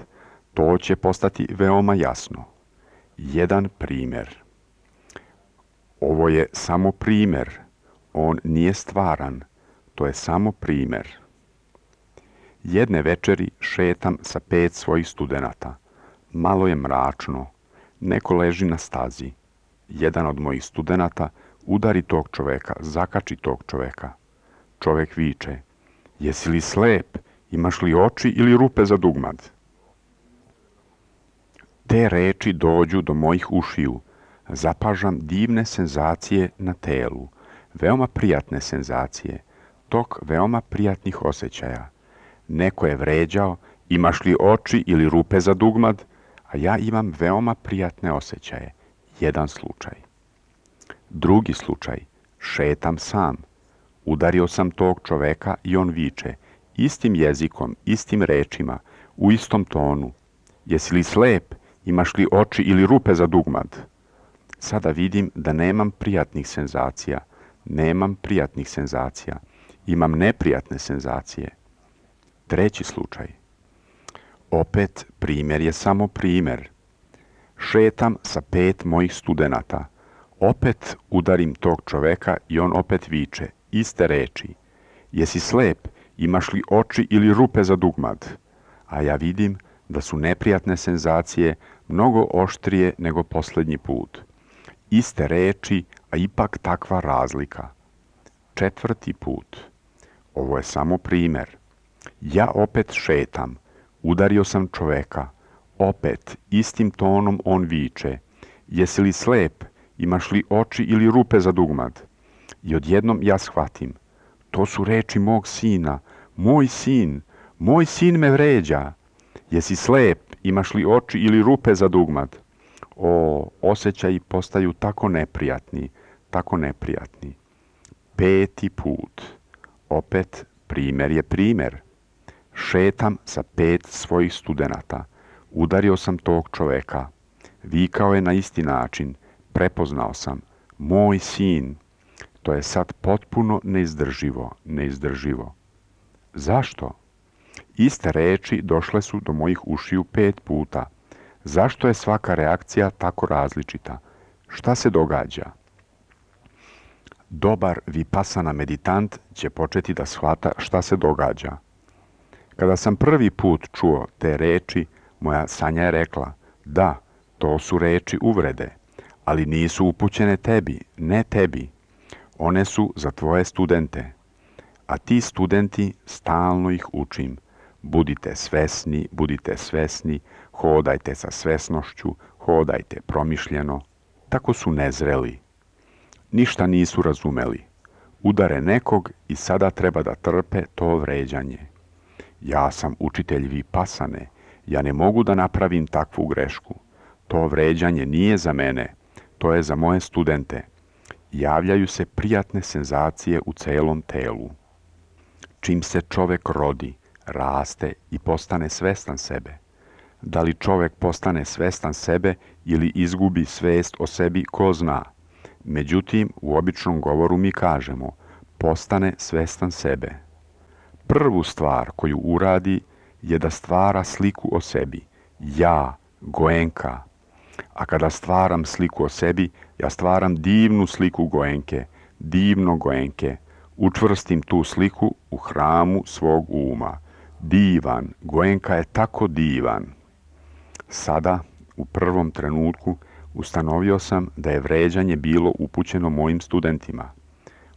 A: to će postati veoma jasno. Jedan primjer. Ovo je samo primjer. On nije stvaran. To je samo primjer. Jedne večeri šetam sa 5 svojih studenata. Malo je mračno. Neko leži na stazi. jedan od mojih studenata udari tog čoveka, zakači tog čoveka. Čovek viče, jesi li slep, imaš li oči ili rupe za dugmad? Te reči dođu do mojih ušiju, zapažam divne senzacije na telu, veoma prijatne senzacije, tok veoma prijatnih osjećaja. Neko je vređao, imaš li oči ili rupe za dugmad, a ja imam veoma prijatne osjećaje. Jedan slučaj. Drugi slučaj. Šetam sam. Udario sam tog čoveka i on viče, istim jezikom, istim rečima, u istom tonu. Jesi li slep, imaš li oči ili rupe za dugmad? Sada vidim da nemam prijatnih senzacija. Imam neprijatne senzacije. Treći slučaj. Opet primjer je samo primjer. Šetam sa 5 mojih studenata. Opet udarim tog čoveka i on opet viče, iste reči. Jesi slep, imaš li oči ili rupe za dugmad? A ja vidim da su neprijatne senzacije mnogo oštrije nego posljednji put. Iste reči, a ipak takva razlika. Četvrti put. Ovo je samo primjer. Ja opet šetam. Udario sam čoveka. Opet, istim tonom on viče. Jesi li slep? Imaš li oči ili rupe za dugmad? I odjednom ja shvatim. To su reči mog sina. Moj sin me vređa. Jesi slep? Imaš li oči ili rupe za dugmad? O, osjećaji postaju tako neprijatni. Peti put. Opet, primjer je primjer. Šetam sa 5 svojih studenata. Udario sam tog čoveka. Vikao je na isti način. Prepoznao sam. Moj sin. To je sad potpuno neizdrživo. Zašto? Iste reči došle su do mojih ušiju 5 puta. Zašto je svaka reakcija tako različita? Šta se događa? Dobar vipassana meditant će početi da shvata šta se događa. Kada sam prvi put čuo te reči, moja Sanja je rekla, da, to su reči uvrede, ali nisu upućene tebi, ne tebi. One su za tvoje studente. A ti studenti, stalno ih učim. Budite svesni, hodajte sa svesnošću, hodajte promišljeno. Tako su nezreli. Ništa nisu razumeli. Udare nekog i sada treba da trpe to vređanje. Ja sam učitelj vipassane. Ja ne mogu da napravim takvu grešku. To vređanje nije za mene. To je za moje studente. Javljaju se prijatne senzacije u celom telu. Čim se čovek rodi, raste i postane svestan sebe. Da li čovek postane svestan sebe ili izgubi svest o sebi, ko zna. Međutim, u običnom govoru mi kažemo, postane svestan sebe. Prvu stvar koju uradi je da stvara sliku o sebi. Ja, Goenka. A kada stvaram sliku o sebi, ja stvaram divnu sliku divno Goenke. Učvrstim tu sliku u hramu svog uma. Divan, Goenka je tako divan. Sada, u prvom trenutku, ustanovio sam da je vređanje bilo upućeno mojim studentima.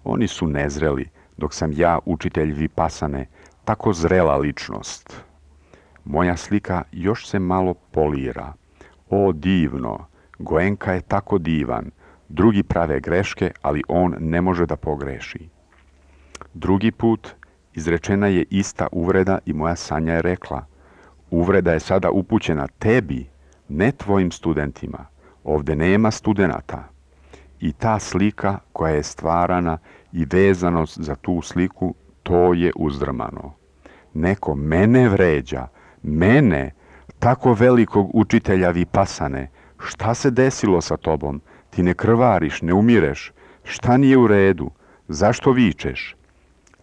A: Oni su nezreli, dok sam ja, učitelj vipassane, tako zrela ličnost. Moja slika još se malo polira. O divno, Goenka je tako divan. Drugi prave greške, ali on ne može da pogreši. Drugi put izrečena je ista uvreda i moja Sanja je rekla, uvreda je sada upućena tebi, ne tvojim studentima. Ovde nema studenata. I ta slika koja je stvarana i vezanost za tu sliku, to je uzdrmano. Neko mene vređa, mene, tako velikog učitelja vipassane. Šta se desilo sa tobom? Ti ne krvariš, ne umireš. Šta nije u redu? Zašto vičeš?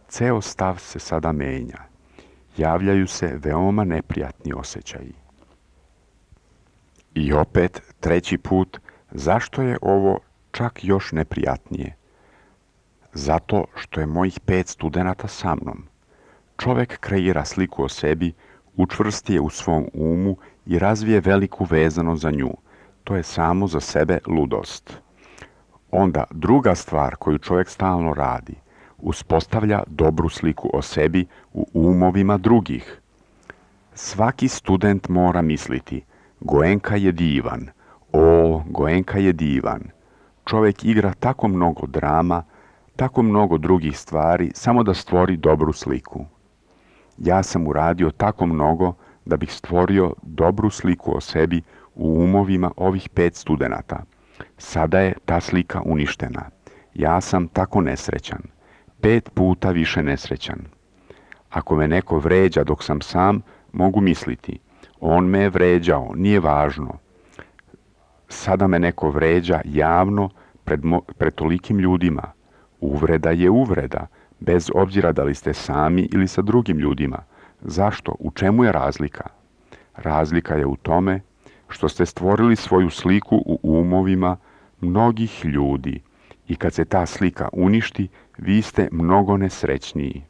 A: Ceo stav se sada menja. Javljaju se veoma neprijatni osjećaji. I opet, treći put, zašto je ovo čak još neprijatnije? Zato što je mojih 5 studenata sa mnom. Čovek kreira sliku o sebi, učvrsti je u svom umu i razvije veliku vezanost za nju. To je samo za sebe ludost. Onda druga stvar koju čovjek stalno radi, uspostavlja dobru sliku o sebi u umovima drugih. Svaki student mora misliti, Goenka je divan, o, Goenka je divan. Čovjek igra tako mnogo drama, tako mnogo drugih stvari, samo da stvori dobru sliku. Ja sam uradio tako mnogo da bih stvorio dobru sliku o sebi u umovima ovih 5 studenata. Sada je ta slika uništena. Ja sam tako nesrećan. 5 puta više nesrećan. Ako me neko vređa dok sam sam, mogu misliti, on me je vređao, nije važno. Sada me neko vređa javno pred tolikim ljudima. Uvreda je uvreda, bez obzira da li ste sami ili sa drugim ljudima. Zašto? U čemu je razlika? Razlika je u tome što ste stvorili svoju sliku u umovima mnogih ljudi i kad se ta slika uništi, vi ste mnogo nesrećniji.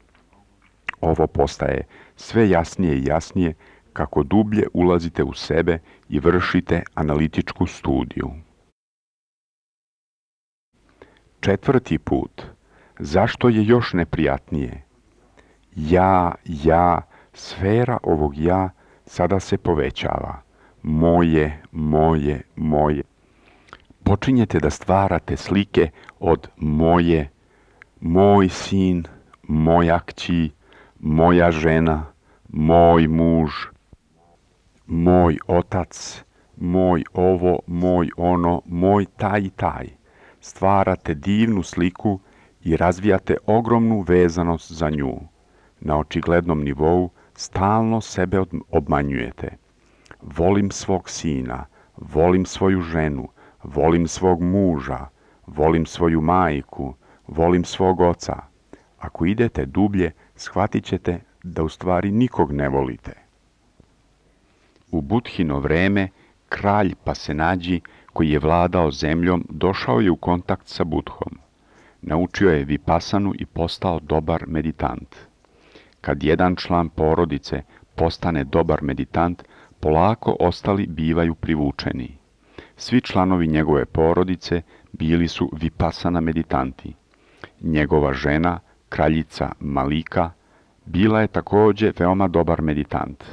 A: Ovo postaje sve jasnije i jasnije kako dublje ulazite u sebe i vršite analitičku studiju. 4. put. Zašto je još neprijatnije? Ja, sfera ovog ja sada se povećava. Moje. Počinjete da stvarate slike od moje, moj sin, moja kći, moja žena, moj muž, moj otac, moj ovo, moj ono, moj taj i taj. Stvarate divnu sliku i razvijate ogromnu vezanost za nju. Na očiglednom nivou stalno sebe obmanjujete. Volim svog sina, volim svoju ženu, volim svog muža, volim svoju majku, volim svog oca. Ako idete dublje, shvatit ćete da u stvari nikog ne volite. U Budhino vreme, kralj Pasenađi, koji je vladao zemljom, došao je u kontakt sa Budhom. Naučio je vipasanu i postao dobar meditant. Kad jedan član porodice postane dobar meditant, polako ostali bivaju privučeni. Svi članovi njegove porodice bili su vipasana meditanti. Njegova žena, kraljica Malika, bila je također veoma dobar meditant.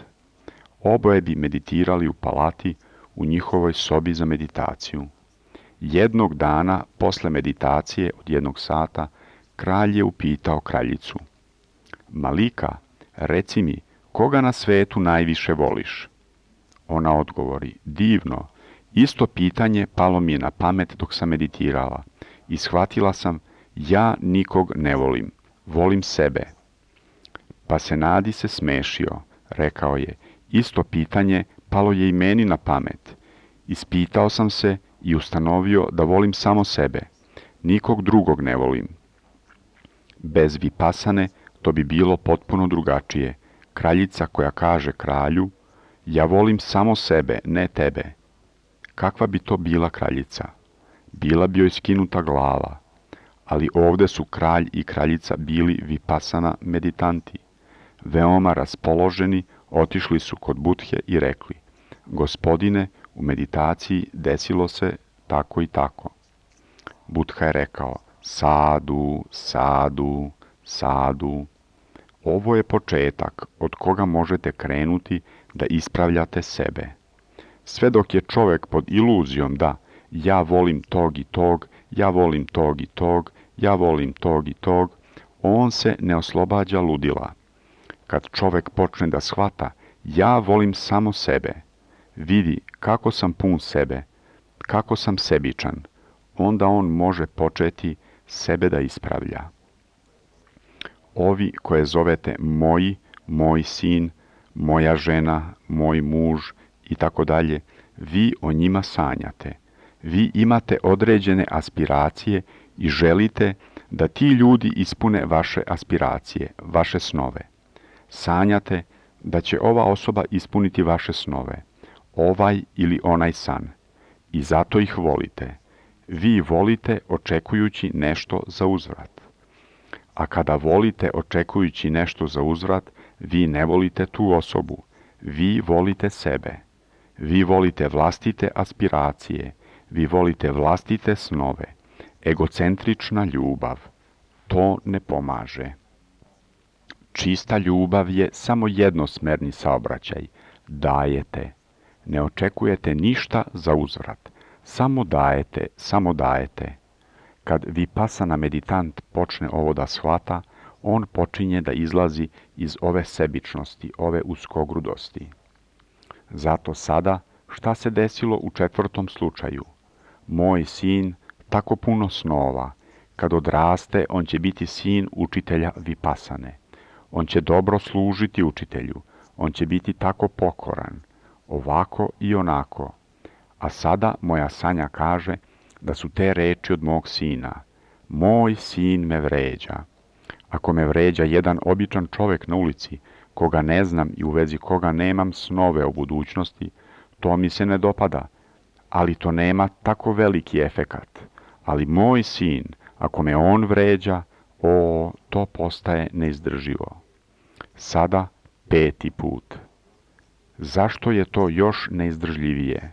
A: Oboje bi meditirali u palati u njihovoj sobi za meditaciju. Jednog dana, posle meditacije od 1 sata, kralj je upitao kraljicu. Malika, reci mi, koga na svetu najviše voliš? Ona odgovori, divno, isto pitanje palo mi je na pamet dok sam meditirala i shvatila sam, ja nikog ne volim, volim sebe. Pasenadi se smešio, rekao je, isto pitanje palo je i meni na pamet. Ispitao sam se i ustanovio da volim samo sebe, nikog drugog ne volim. Bez vipasane to bi bilo potpuno drugačije. Kraljica koja kaže kralju, ja volim samo sebe, ne tebe. Kakva bi to bila kraljica? Bila bi joj skinuta glava. Ali ovdje su kralj i kraljica bili vipasana meditanti. Veoma raspoloženi, otišli su kod Budhe i rekli, gospodine, u meditaciji desilo se tako i tako. Budha je rekao, sadu, sadu, sadu. Ovo je početak od koga možete krenuti da ispravljate sebe. Sve dok je čovjek pod iluzijom da ja volim tog i tog, ja volim tog i tog, ja volim tog i tog, on se ne oslobađa ludila. Kad čovjek počne da shvata ja volim samo sebe, vidi kako sam pun sebe, kako sam sebičan, onda on može početi sebe da ispravlja. Ovi koje zovete moji, moj sin, moja žena, moj muž i tako dalje, vi o njima sanjate. Vi imate određene aspiracije i želite da ti ljudi ispune vaše aspiracije, vaše snove. Sanjate da će ova osoba ispuniti vaše snove, ovaj ili onaj san, i zato ih volite. Vi volite očekujući nešto za uzvrat. A kada volite očekujući nešto za uzvrat, vi ne volite tu osobu, vi volite sebe. Vi volite vlastite aspiracije, vi volite vlastite snove. Egocentrična ljubav. To ne pomaže. Čista ljubav je samo jednosmerni saobraćaj. Dajete. Ne očekujete ništa za uzvrat. Samo dajete, samo dajete. Kad vipassana meditant počne ovo da shvata, on počinje da izlazi iz ove sebičnosti, ove uskogrudosti. Zato sada, šta se desilo u 4. slučaju? Moj sin, tako puno snova, kad odraste, on će biti sin učitelja vipassane. On će dobro služiti učitelju, on će biti tako pokoran, ovako i onako. A sada moja Sanja kaže da su te reči od mog sina. Moj sin me vređa. Ako me vređa jedan običan čovjek na ulici, koga ne znam i u vezi koga nemam snove o budućnosti, to mi se ne dopada, ali to nema tako veliki efekat. Ali moj sin, ako me on vređa, to postaje neizdrživo. Sada 5. put. Zašto je to još neizdržljivije?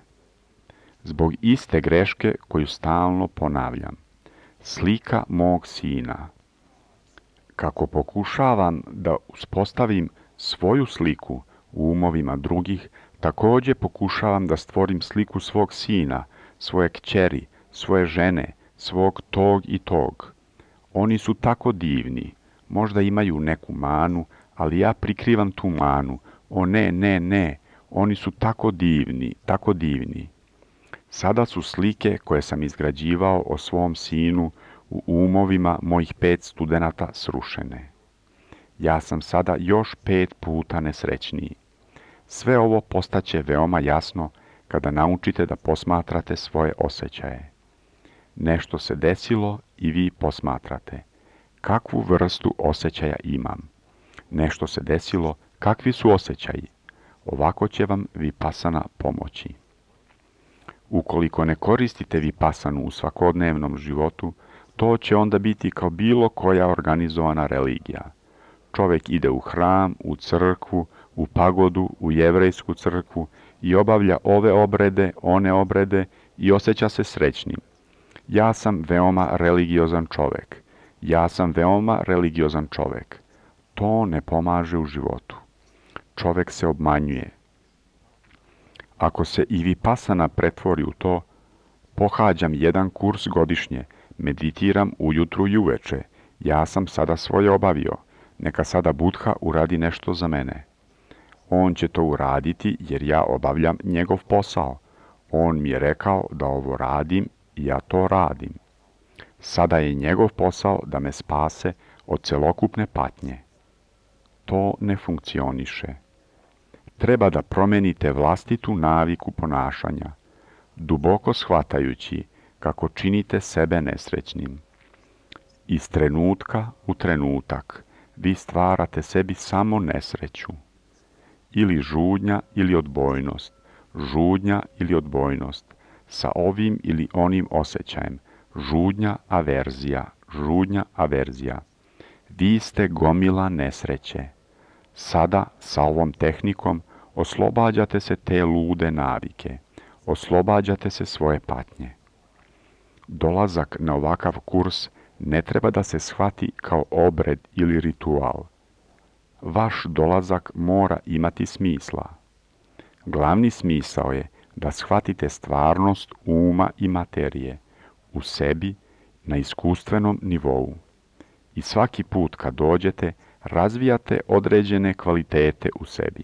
A: Zbog iste greške koju stalno ponavljam. Slika mog sina. Kako pokušavam da uspostavim svoju sliku u umovima drugih, također pokušavam da stvorim sliku svog sina, svoje kćeri, svoje žene, svog tog i tog. Oni su tako divni, možda imaju neku manu, ali ja prikrivam tu manu. O ne, oni su tako divni, tako divni. Sada su slike koje sam izgrađivao o svom sinu u umovima mojih 5 studenata srušene. Ja sam sada još 5 puta nesrećniji. Sve ovo postaće veoma jasno kada naučite da posmatrate svoje osjećaje. Nešto se desilo i vi posmatrate. Kakvu vrstu osjećaja imam? Nešto se desilo, kakvi su osjećaji? Ovako će vam vipassana pomoći. Ukoliko ne koristite vipassanu u svakodnevnom životu, to će onda biti kao bilo koja organizovana religija. Čovjek ide u hram, u crkvu, u pagodu, u jevrejsku crkvu i obavlja ove obrede, one obrede i osjeća se srećnim. Ja sam veoma religiozan čovjek. To ne pomaže u životu. Čovjek se obmanjuje. Ako se i vipassana pretvori u to, pohađam 1 kurs godišnje, meditiram ujutru i uveče, ja sam sada svoje obavio, neka sada Buddha uradi nešto za mene. On će to uraditi jer ja obavljam njegov posao. On mi je rekao da ovo radim i ja to radim. Sada je njegov posao da me spase od celokupne patnje. To ne funkcioniše. Treba da promenite vlastitu naviku ponašanja, duboko shvatajući kako činite sebe nesrećnim. Iz trenutka u trenutak vi stvarate sebi samo nesreću. Ili žudnja ili odbojnost, sa ovim ili onim osjećajem, žudnja, averzija. Vi ste gomila nesreće. Sada, sa ovom tehnikom, oslobađate se te lude navike, oslobađate se svoje patnje. Dolazak na ovakav kurs ne treba da se shvati kao obred ili ritual. Vaš dolazak mora imati smisla. Glavni smisao je da shvatite stvarnost uma i materije u sebi na iskustvenom nivou. I svaki put kad dođete, razvijate određene kvalitete u sebi.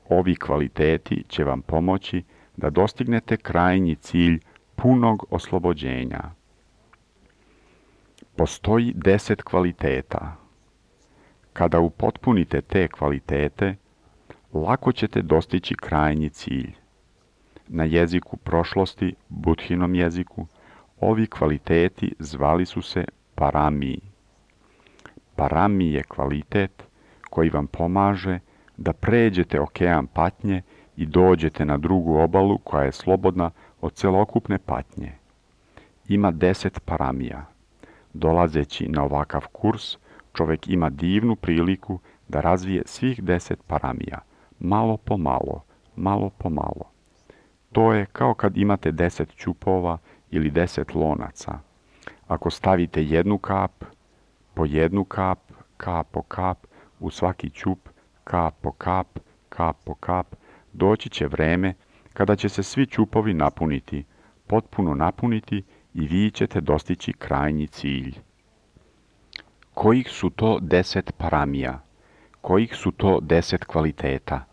A: Ovi kvaliteti će vam pomoći da dostignete krajnji cilj punog oslobođenja. Postoji 10 kvaliteta. Kada upotpunite te kvalitete, lako ćete dostići krajnji cilj. Na jeziku prošlosti, Budhinom jeziku, ovi kvaliteti zvali su se parami. Parami je kvalitet koji vam pomaže da pređete okean patnje i dođete na drugu obalu koja je slobodna od celokupne patnje. Ima 10 paramija. Dolazeći na ovakav kurs, čovjek ima divnu priliku da razvije svih 10 paramija, malo po malo. To je kao kad imate 10 ćupova ili 10 lonaca. Ako stavite jednu kap, po jednu kap, kap po kap, u svaki ćup, kap po kap, doći će vreme kada će se svi ćupovi napuniti, potpuno napuniti i vi ćete dostići krajnji cilj. Kojih su to 10 paramija? Kojih su to 10 kvaliteta?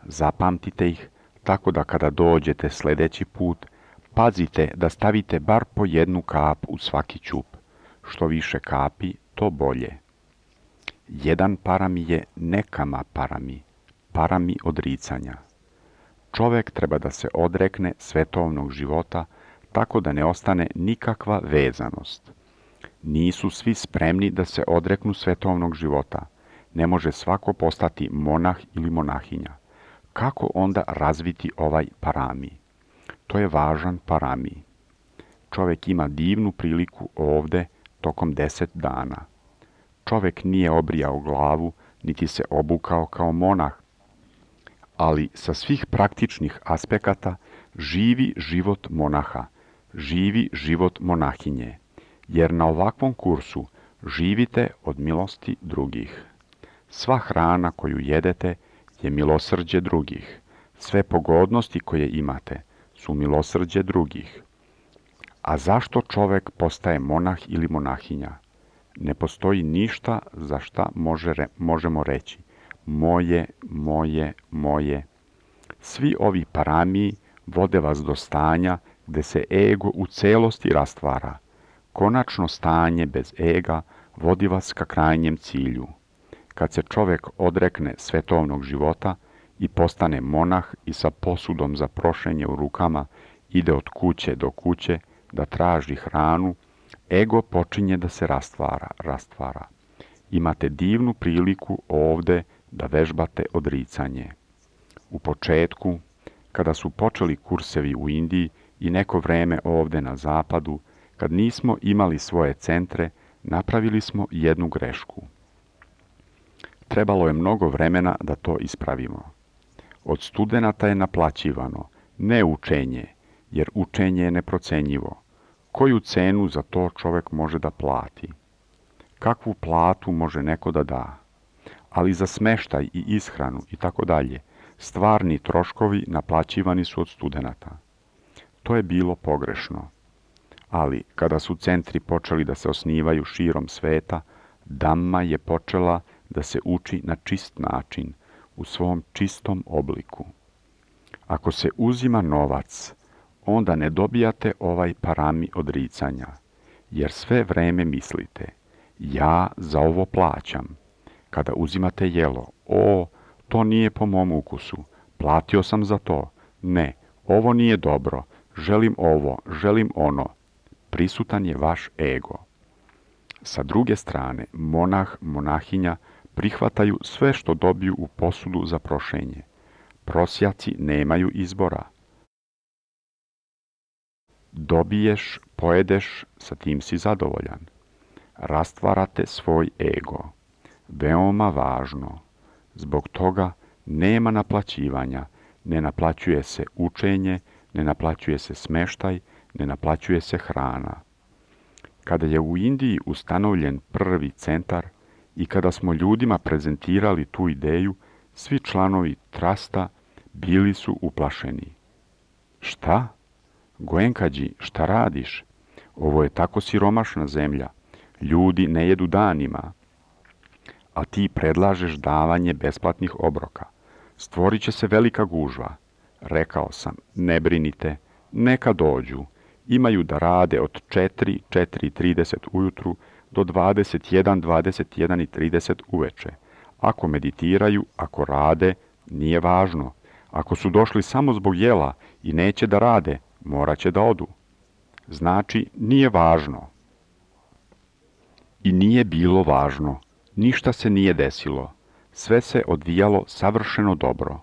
A: Zapamtite ih tako da kada dođete sljedeći put, pazite da stavite bar po jednu kap u svaki ćup. Što više kapi, to bolje. Jedan parami je nekama parami, parami odricanja. Čovjek treba da se odrekne svetovnog života tako da ne ostane nikakva vezanost. Nisu svi spremni da se odreknu svetovnog života. Ne može svako postati monah ili monahinja. Kako onda razviti ovaj parami? To je važan parami. Čovjek ima divnu priliku ovde tokom 10 dana. Čovjek nije obrijao glavu, niti se obukao kao monah, ali sa svih praktičnih aspekata živi život monaha, živi život monahinje, jer na ovakvom kursu živite od milosti drugih. Sva hrana koju jedete je milosrđe drugih. Sve pogodnosti koje imate su milosrđe drugih. A zašto čovjek postaje monah ili monahinja? Ne postoji ništa za šta možemo reći moje, moje, moje. Svi ovi paramiji vode vas do stanja gde se ego u celosti rastvara. Konačno stanje bez ega vodi vas ka krajnjem cilju. Kad se čovjek odrekne svetovnog života i postane monah i sa posudom za prošenje u rukama ide od kuće do kuće da traži hranu, ego počinje da se rastvara. Imate divnu priliku ovde da vežbate odricanje. U početku, kada su počeli kursevi u Indiji i neko vreme ovde na zapadu, kad nismo imali svoje centre, napravili smo jednu grešku. Trebalo je mnogo vremena da to ispravimo. Od studenata je naplaćivano, ne učenje, jer učenje je neprocenjivo. Koju cenu za to čovjek može da plati? Kakvu platu može neko da da? Ali za smeštaj i ishranu i tako dalje, stvarni troškovi naplaćivani su od studenata. To je bilo pogrešno. Ali kada su centri počeli da se osnivaju širom sveta, Dhamma je počela da se uči na čist način, u svom čistom obliku. Ako se uzima novac, onda ne dobijate ovaj parami odricanja, jer sve vreme mislite, ja za ovo plaćam. Kada uzimate jelo, to nije po mom ukusu, platio sam za to, ne, ovo nije dobro, želim ovo, želim ono. Prisutan je vaš ego. Sa druge strane, monah, monahinja prihvataju sve što dobiju u posudu za prošenje. Prosjaci nemaju izbora. Dobiješ, pojedeš, sa tim si zadovoljan. Rastvarate svoj ego. Veoma važno. Zbog toga nema naplaćivanja, ne naplaćuje se učenje, ne naplaćuje se smeštaj, ne naplaćuje se hrana. Kada je u Indiji ustanovljen prvi centar i kada smo ljudima prezentirali tu ideju, svi članovi trasta bili su uplašeni. Šta? Goenkađi, šta radiš? Ovo je tako siromašna zemlja. Ljudi ne jedu danima. A ti predlažeš davanje besplatnih obroka. Stvorit će se velika gužva. Rekao sam, ne brinite, neka dođu. Imaju da rade od 4:30 ujutru do 21:30 uveče. Ako meditiraju, ako rade, nije važno. Ako su došli samo zbog jela i neće da rade, morat će da odu. Znači, nije važno. I nije bilo važno. Ništa se nije desilo. Sve se odvijalo savršeno dobro.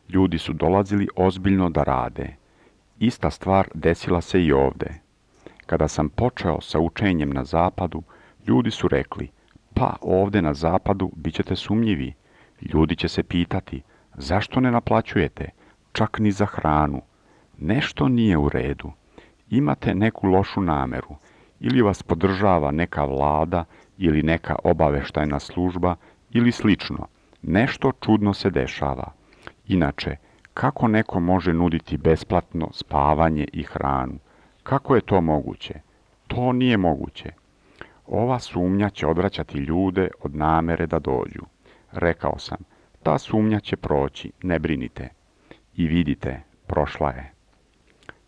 A: Ljudi su dolazili ozbiljno da rade. Ista stvar desila se i ovde. Kada sam počeo sa učenjem na zapadu, ljudi su rekli, pa ovde na zapadu bit ćete sumnjivi. Ljudi će se pitati, zašto ne naplaćujete, čak ni za hranu? Nešto nije u redu. Imate neku lošu nameru. ili vas podržava neka vlada ili neka obaveštajna služba ili slično. Nešto čudno se dešava. Inače, kako neko može nuditi besplatno spavanje i hranu? Kako je to moguće? To nije moguće. Ova sumnja će odvraćati ljude od namere da dođu. Rekao sam, ta sumnja će proći, ne brinite. I vidite, prošla je.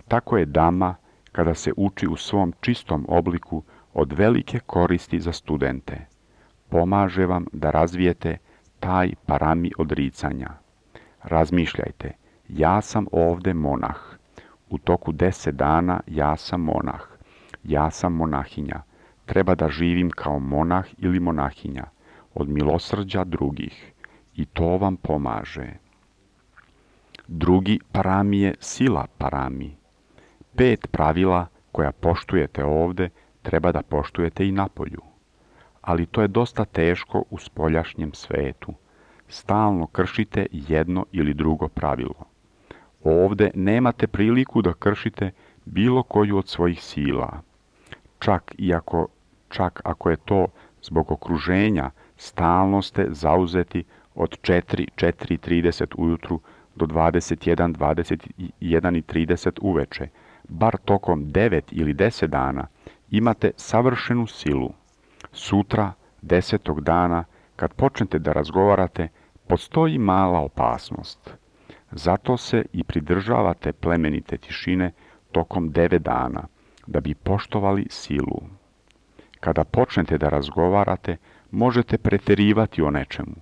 A: Tako je dama, kada se uči u svom čistom obliku, od velike koristi za studente. Pomaže vam da razvijete taj parami odricanja. Razmišljajte, ja sam ovde monah. U toku 10 dana ja sam monah. Ja sam monahinja. Treba da živim kao monah ili monahinja, od milosrđa drugih. I to vam pomaže. Drugi parami je sila parami. 5 pravila koja poštujete ovde treba da poštujete i napolju. Ali to je dosta teško u spoljašnjem svetu. Stalno kršite jedno ili drugo pravilo. Ovde nemate priliku da kršite bilo koju od svojih sila. Čak ako je to zbog okruženja, stalno ste zauzeti od 4:30 ujutru do 21:30 uveče. Bar tokom 9 ili 10 dana imate savršenu silu. Sutra, 10. dana, kad počnete da razgovarate, postoji mala opasnost. Zato se i pridržavate plemenite tišine tokom 9 dana, da bi poštovali silu. Kada počnete da razgovarate, možete preterivati o nečemu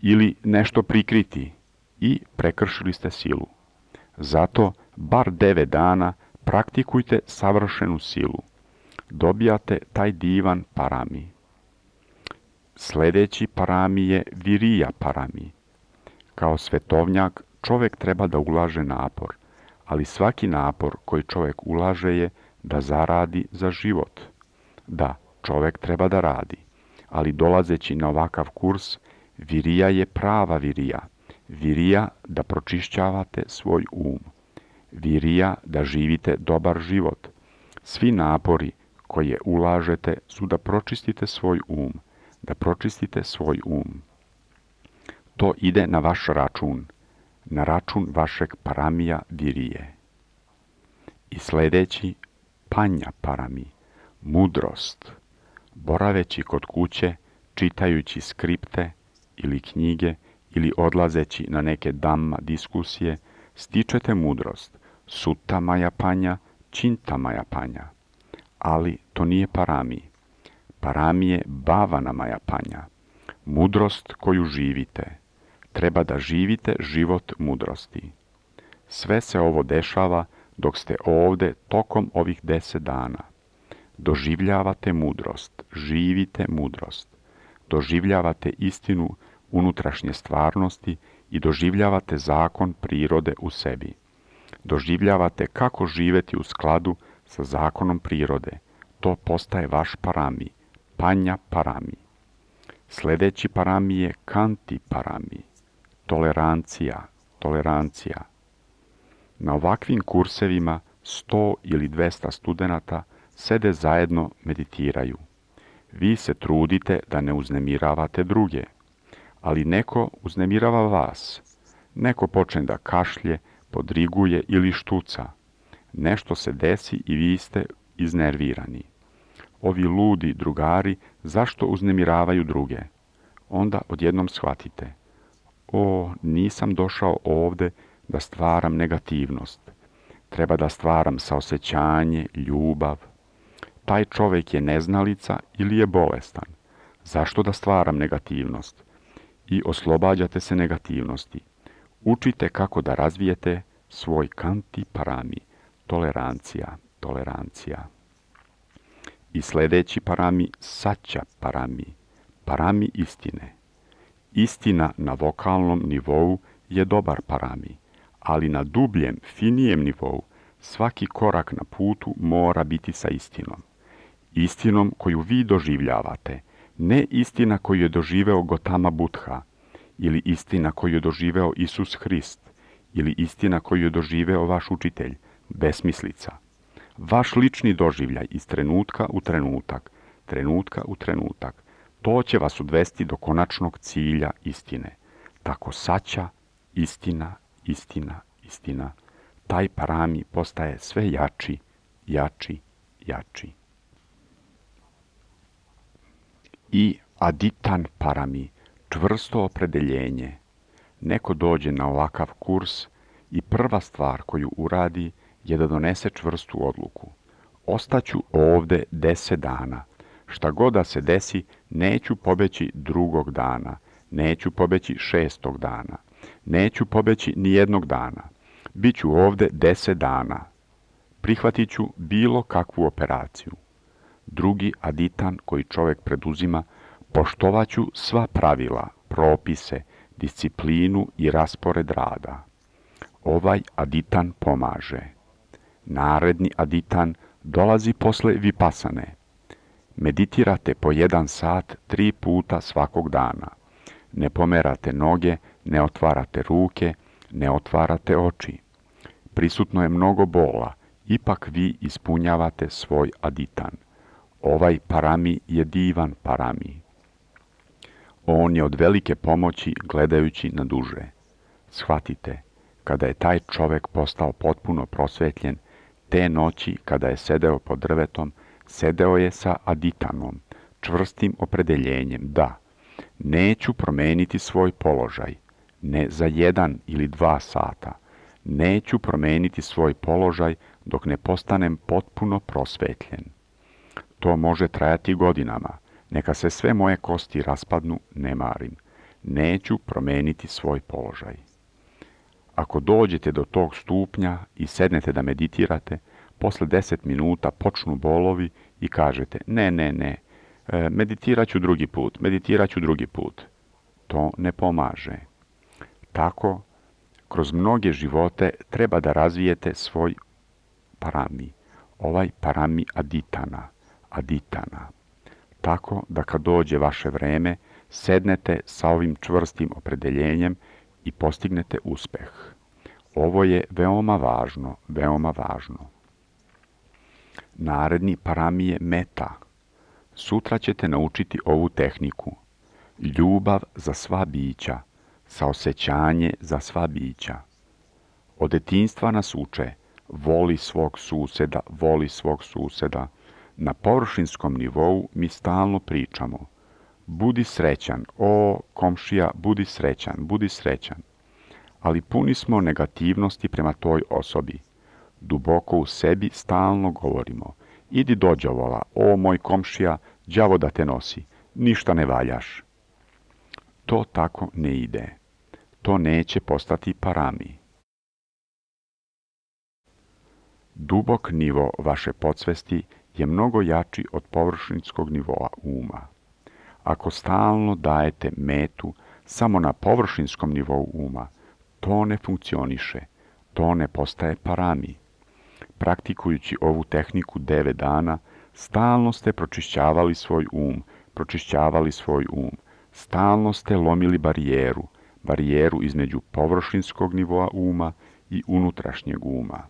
A: ili nešto prikriti i prekršili ste silu. Zato bar 9 dana praktikujte savršenu silu. Dobijate taj divan parami. Sljedeći parami je virija parami. Kao svetovnjak čovjek treba da ulaže napor, ali svaki napor koji čovjek ulaže je da zaradi za život. Da, čovjek treba da radi, ali dolazeći na ovakav kurs, virija je prava virija. Virija da pročišćavate svoj um. Virija da živite dobar život. Svi napori koje ulažete su da pročistite svoj um. Da pročistite svoj um. To ide na vaš račun, na račun vašeg paramija virije. I sljedeći, panja parami, mudrost. Boraveći kod kuće, čitajući skripte ili knjige ili odlazeći na neke dhamma diskusije, stičete mudrost, sutta maja panja, činta maja panja. Ali to nije parami. Parami je bhavana maja panja, mudrost koju živite. Treba da živite život mudrosti. Sve se ovo dešava dok ste ovde tokom ovih 10 dana. Doživljavate mudrost, živite mudrost. Doživljavate istinu unutrašnje stvarnosti i doživljavate zakon prirode u sebi. Doživljavate kako živeti u skladu sa zakonom prirode. To postaje vaš parami, panja parami. Sljedeći parami je kanti parami, tolerancija. Na ovakvim kursevima 100 ili 200 studenata sede zajedno meditiraju. Vi se trudite da ne uznemiravate druge, ali neko uznemirava vas. Neko počne da kašlje, podriguje ili štuca. Nešto se desi i vi ste iznervirani. Ovi ludi drugari zašto uznemiravaju druge? Onda odjednom shvatite. Nisam došao ovde da stvaram negativnost. Treba da stvaram saosećanje, ljubav. Taj čovjek je neznalica ili je bolestan. Zašto da stvaram negativnost? I oslobađate se negativnosti. Učite kako da razvijete svoj kanti parami, tolerancija. I sljedeći parami, sača parami istine. Istina na vokalnom nivou je dobar parami, ali na dubljem, finijem nivou svaki korak na putu mora biti sa istinom. Istinom koju vi doživljavate, ne istina koju je doživeo Gotama Buddha, ili istina koju je doživeo Isus Hrist, ili istina koju je doživeo vaš učitelj, besmislica. Vaš lični doživljaj iz trenutka u trenutak, to će vas odvesti do konačnog cilja istine. Tako saća, istina, taj parami postaje sve jači. I aditan parami, čvrsto opredeljenje. Neko dođe na ovakav kurs i prva stvar koju uradi je da donese čvrstu odluku. Ostaću ovde 10 dana. Šta god da se desi, neću pobeći drugog dana, neću pobeći 6. dana, neću pobeći ni jednog dana. Biću ovde 10 dana. Prihvatit ću bilo kakvu operaciju. Drugi aditan koji čovjek preduzima, poštovaću sva pravila, propise, disciplinu i raspored rada. Ovaj aditan pomaže. Naredni aditan dolazi posle vipasane. Meditirate po 1 sat 3 puta svakog dana. Ne pomerate noge, ne otvarate ruke, ne otvarate oči. Prisutno je mnogo bola, ipak vi ispunjavate svoj aditan. Ovaj parami je divan parami. On je od velike pomoći gledajući na duže. Shvatite, kada je taj čovjek postao potpuno prosvetljen, te noći kada je sedeo pod drvetom, sedeo je sa aditanom, čvrstim opredeljenjem da neću promeniti svoj položaj, ne za 1 ili 2 sata, neću promeniti svoj položaj dok ne postanem potpuno prosvetljen. To može trajati godinama, neka se sve moje kosti raspadnu, ne marim, neću promeniti svoj položaj. Ako dođete do tog stupnja i sednete da meditirate, posle 10 minuta počnu bolovi i kažete ne, meditirat ću drugi put. To ne pomaže. Tako, kroz mnoge živote treba da razvijete svoj parami, ovaj parami aditana. Tako da kad dođe vaše vreme, sednete sa ovim čvrstim opredeljenjem i postignete uspeh. Ovo je veoma važno. Naredni parami je meta. Sutra ćete naučiti ovu tehniku. Ljubav za sva bića, saosećanje za sva bića. Od detinjstva nas uče, voli svog suseda. Na površinskom nivou mi stalno pričamo. Budi srećan, o komšija, budi srećan. Ali puni smo negativnosti prema toj osobi. Duboko u sebi stalno govorimo. Idi do đavola, o moj komšija, đavo da te nosi, ništa ne valjaš. To tako ne ide. To neće postati parami. Dubok nivo vaše podsvesti je mnogo jači od površinskog nivoa uma. Ako stalno dajete metu samo na površinskom nivou uma, to ne funkcioniše, to ne postaje parami. Praktikujući ovu tehniku 9 dana, stalno ste pročišćavali svoj um, stalno ste lomili barijeru između površinskog nivoa uma i unutrašnjeg uma.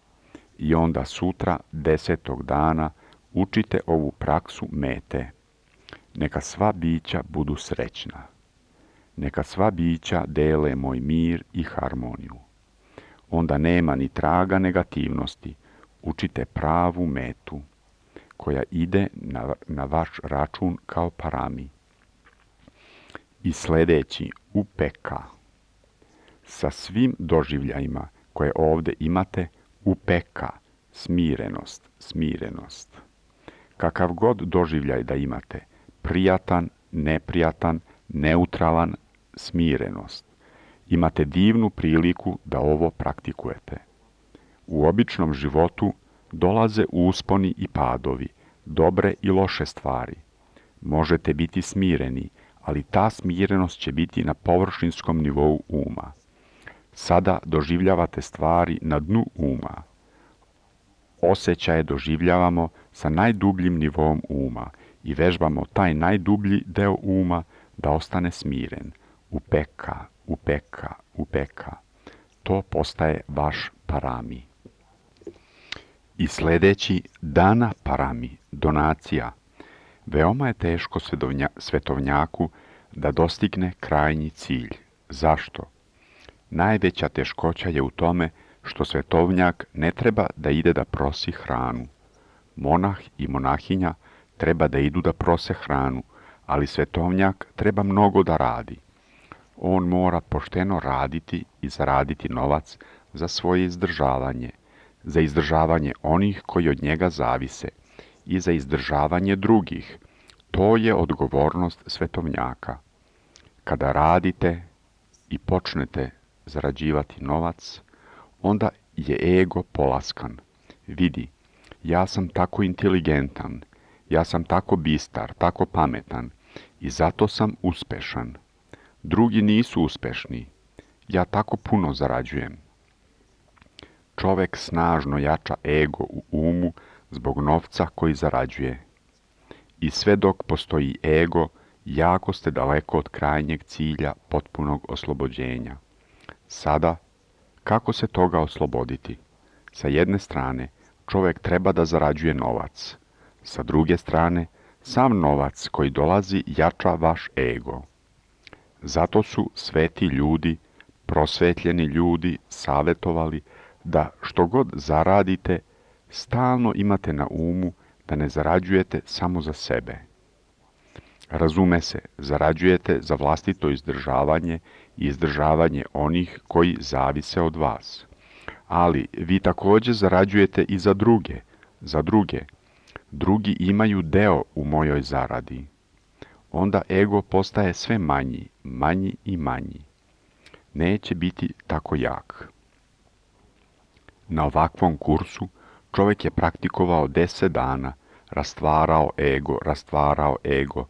A: I onda sutra, 10. dana, učite ovu praksu mete. Neka sva bića budu srećna. Neka sva bića dele moj mir i harmoniju. Onda nema ni traga negativnosti. Učite pravu metu, koja ide na vaš račun kao parami. I sljedeći upeka. Sa svim doživljajima koje ovdje imate, upeka, smirenost. Kakav god doživljaj da imate, prijatan, neprijatan, neutralan, smirenost. Imate divnu priliku da ovo praktikujete. U običnom životu dolaze usponi i padovi, dobre i loše stvari. Možete biti smireni, ali ta smirenost će biti na površinskom nivou uma. Sada doživljavate stvari na dnu uma. Osjećaje doživljavamo sa najdubljim nivom uma i vežbamo taj najdublji deo uma da ostane smiren. Upeka. To postaje vaš parami. I sljedeći dana parami, donacija. Veoma je teško svetovnjaku da dostigne krajnji cilj. Zašto? Najveća teškoća je u tome što svetovnjak ne treba da ide da prosi hranu. Monah i monahinja treba da idu da prose hranu, ali svetovnjak treba mnogo da radi. On mora pošteno raditi i zaraditi novac za svoje izdržavanje, za izdržavanje onih koji od njega zavise i za izdržavanje drugih. To je odgovornost svetovnjaka. Kada radite i počnete zarađivati novac, onda je ego polaskan. Vidi, ja sam tako inteligentan, ja sam tako bistar, tako pametan i zato sam uspešan. Drugi nisu uspešni, ja tako puno zarađujem. Čovek snažno jača ego u umu zbog novca koji zarađuje. I sve dok postoji ego, jako ste daleko od krajnjeg cilja potpunog oslobođenja. Sada, kako se toga osloboditi? Sa jedne strane, čovjek treba da zarađuje novac. Sa druge strane, sam novac koji dolazi jača vaš ego. Zato su sveti ljudi, prosvetljeni ljudi savjetovali da što god zaradite, stalno imate na umu da ne zarađujete samo za sebe. Razume se, zarađujete za vlastito izdržavanje i izdržavanje onih koji zavise od vas. Ali vi također zarađujete i za druge. Drugi imaju deo u mojoj zaradi. Onda ego postaje sve manji i manji. Neće biti tako jak. Na ovakvom kursu čovjek je praktikovao 10 dana, rastvarao ego,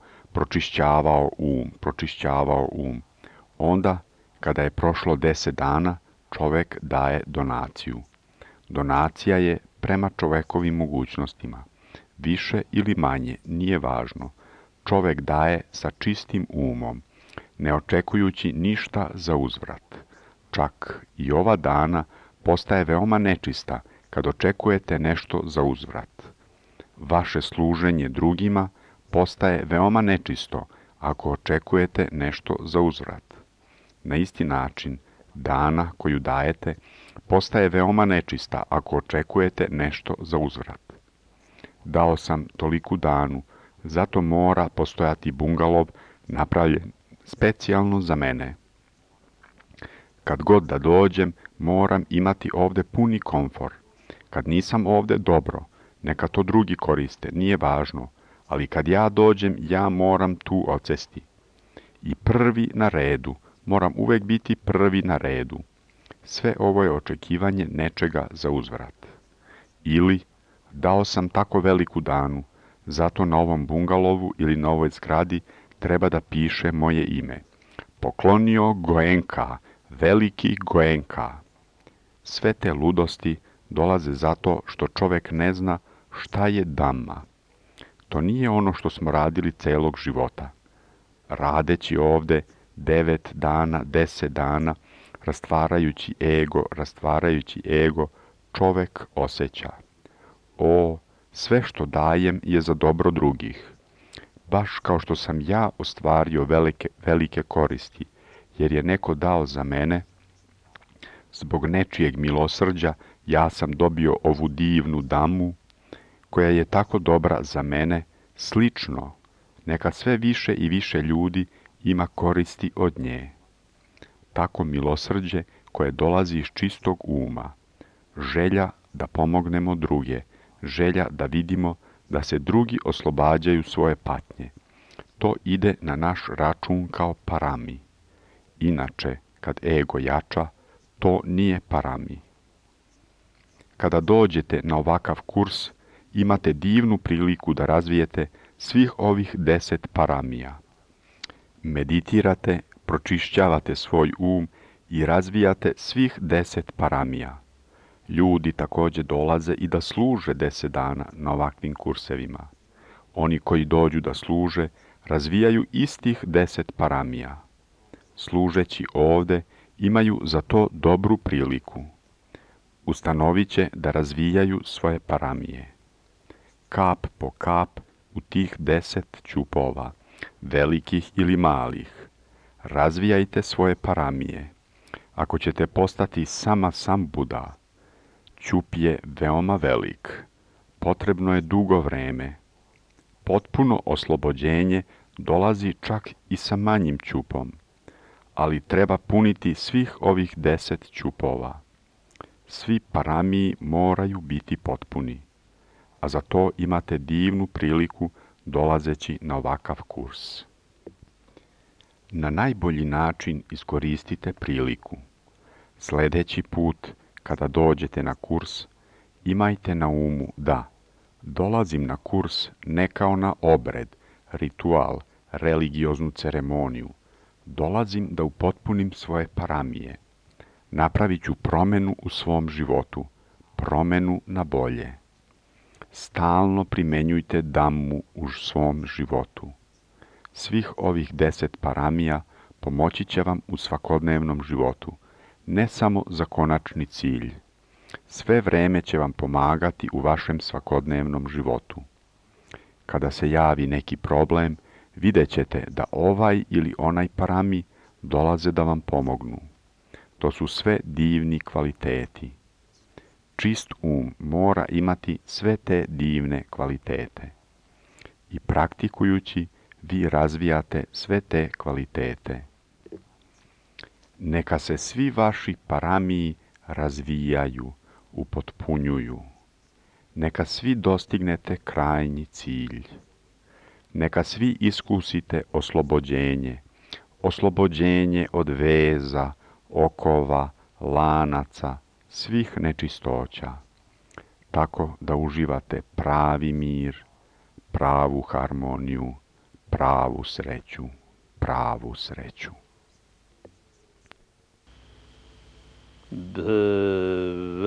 A: pročišćavao um. Onda, kada je prošlo 10 dana, čovjek daje donaciju. Donacija je prema čovjekovim mogućnostima. Više ili manje, nije važno. Čovjek daje sa čistim umom, ne očekujući ništa za uzvrat. Čak i ova dana postaje veoma nečista kad očekujete nešto za uzvrat. Vaše služenje drugima postaje veoma nečisto ako očekujete nešto za uzvrat. Na isti način, dana koju dajete postaje veoma nečista ako očekujete nešto za uzvrat. Dao sam toliku danu, zato mora postojati bungalov napravljen specijalno za mene. Kad god da dođem, moram imati ovdje puni komfor. Kad nisam ovdje, dobro, neka to drugi koriste, nije važno, ali kad ja dođem, ja moram tu odsesti. I prvi na redu, moram uvijek biti prvi na redu. Sve ovo je očekivanje nečega za uzvrat. Ili, dao sam tako veliku danu, zato na ovom bungalovu ili na ovoj zgradi treba da piše moje ime. Poklonio Goenka, veliki Goenka. Sve te ludosti dolaze zato što čovjek ne zna šta je Dhamma. To nije ono što smo radili celog života. Radeći ovdje 9 dana, 10 dana, rastvarajući ego, čovjek osjeća. O, sve što dajem je za dobro drugih. Baš kao što sam ja ostvario velike koristi, jer je neko dao za mene, zbog nečijeg milosrđa ja sam dobio ovu divnu Dhammu, koja je tako dobra za mene, slično, neka sve više i više ljudi ima koristi od nje. Tako milosrđe koje dolazi iz čistog uma, želja da pomognemo druge, želja da vidimo da se drugi oslobađaju svoje patnje. To ide na naš račun kao parami. Inače, kad ego jača, to nije parami. Kada dođete na ovakav kurs, imate divnu priliku da razvijete svih ovih 10 paramija. Meditirate, pročišćavate svoj um i razvijate svih 10 paramija. Ljudi također dolaze i da služe 10 dana na ovakvim kursevima. Oni koji dođu da služe, razvijaju istih 10 paramija. Služeći ovdje, imaju za to dobru priliku. ustanovit će da razvijaju svoje paramije. Kap po kap u tih 10 ćupova, velikih ili malih, razvijajte svoje paramije. Ako ćete postati sam Buda, ćup je veoma velik, potrebno je dugo vreme. Potpuno oslobođenje dolazi čak i sa manjim ćupom, ali treba puniti svih ovih 10 ćupova. Svi paramiji moraju biti potpuni, a za to imate divnu priliku dolazeći na ovakav kurs. Na najbolji način iskoristite priliku. Sljedeći put, kada dođete na kurs, imajte na umu da dolazim na kurs ne kao na obred, ritual, religioznu ceremoniju. Dolazim da upotpunim svoje paramije. Napravit ću promenu u svom životu, promenu na bolje. Stalno primenjujte Dhammu u svom životu. Svih ovih 10 paramija pomoći će vam u svakodnevnom životu, ne samo za konačni cilj. Sve vreme će vam pomagati u vašem svakodnevnom životu. Kada se javi neki problem, vidjet ćete da ovaj ili onaj parami dolaze da vam pomognu. To su sve divni kvaliteti. Čist mora imati sve te divne kvalitete. I praktikujući, vi razvijate sve te kvalitete. Neka se svi vaši paramiji razvijaju, upotpunjuju. Neka svi dostignete krajnji cilj. Neka svi iskusite oslobođenje od veza, okova, lanaca, svih nečistoća, tako da uživate pravi mir, pravu harmoniju, pravu sreću.
B: Bhavat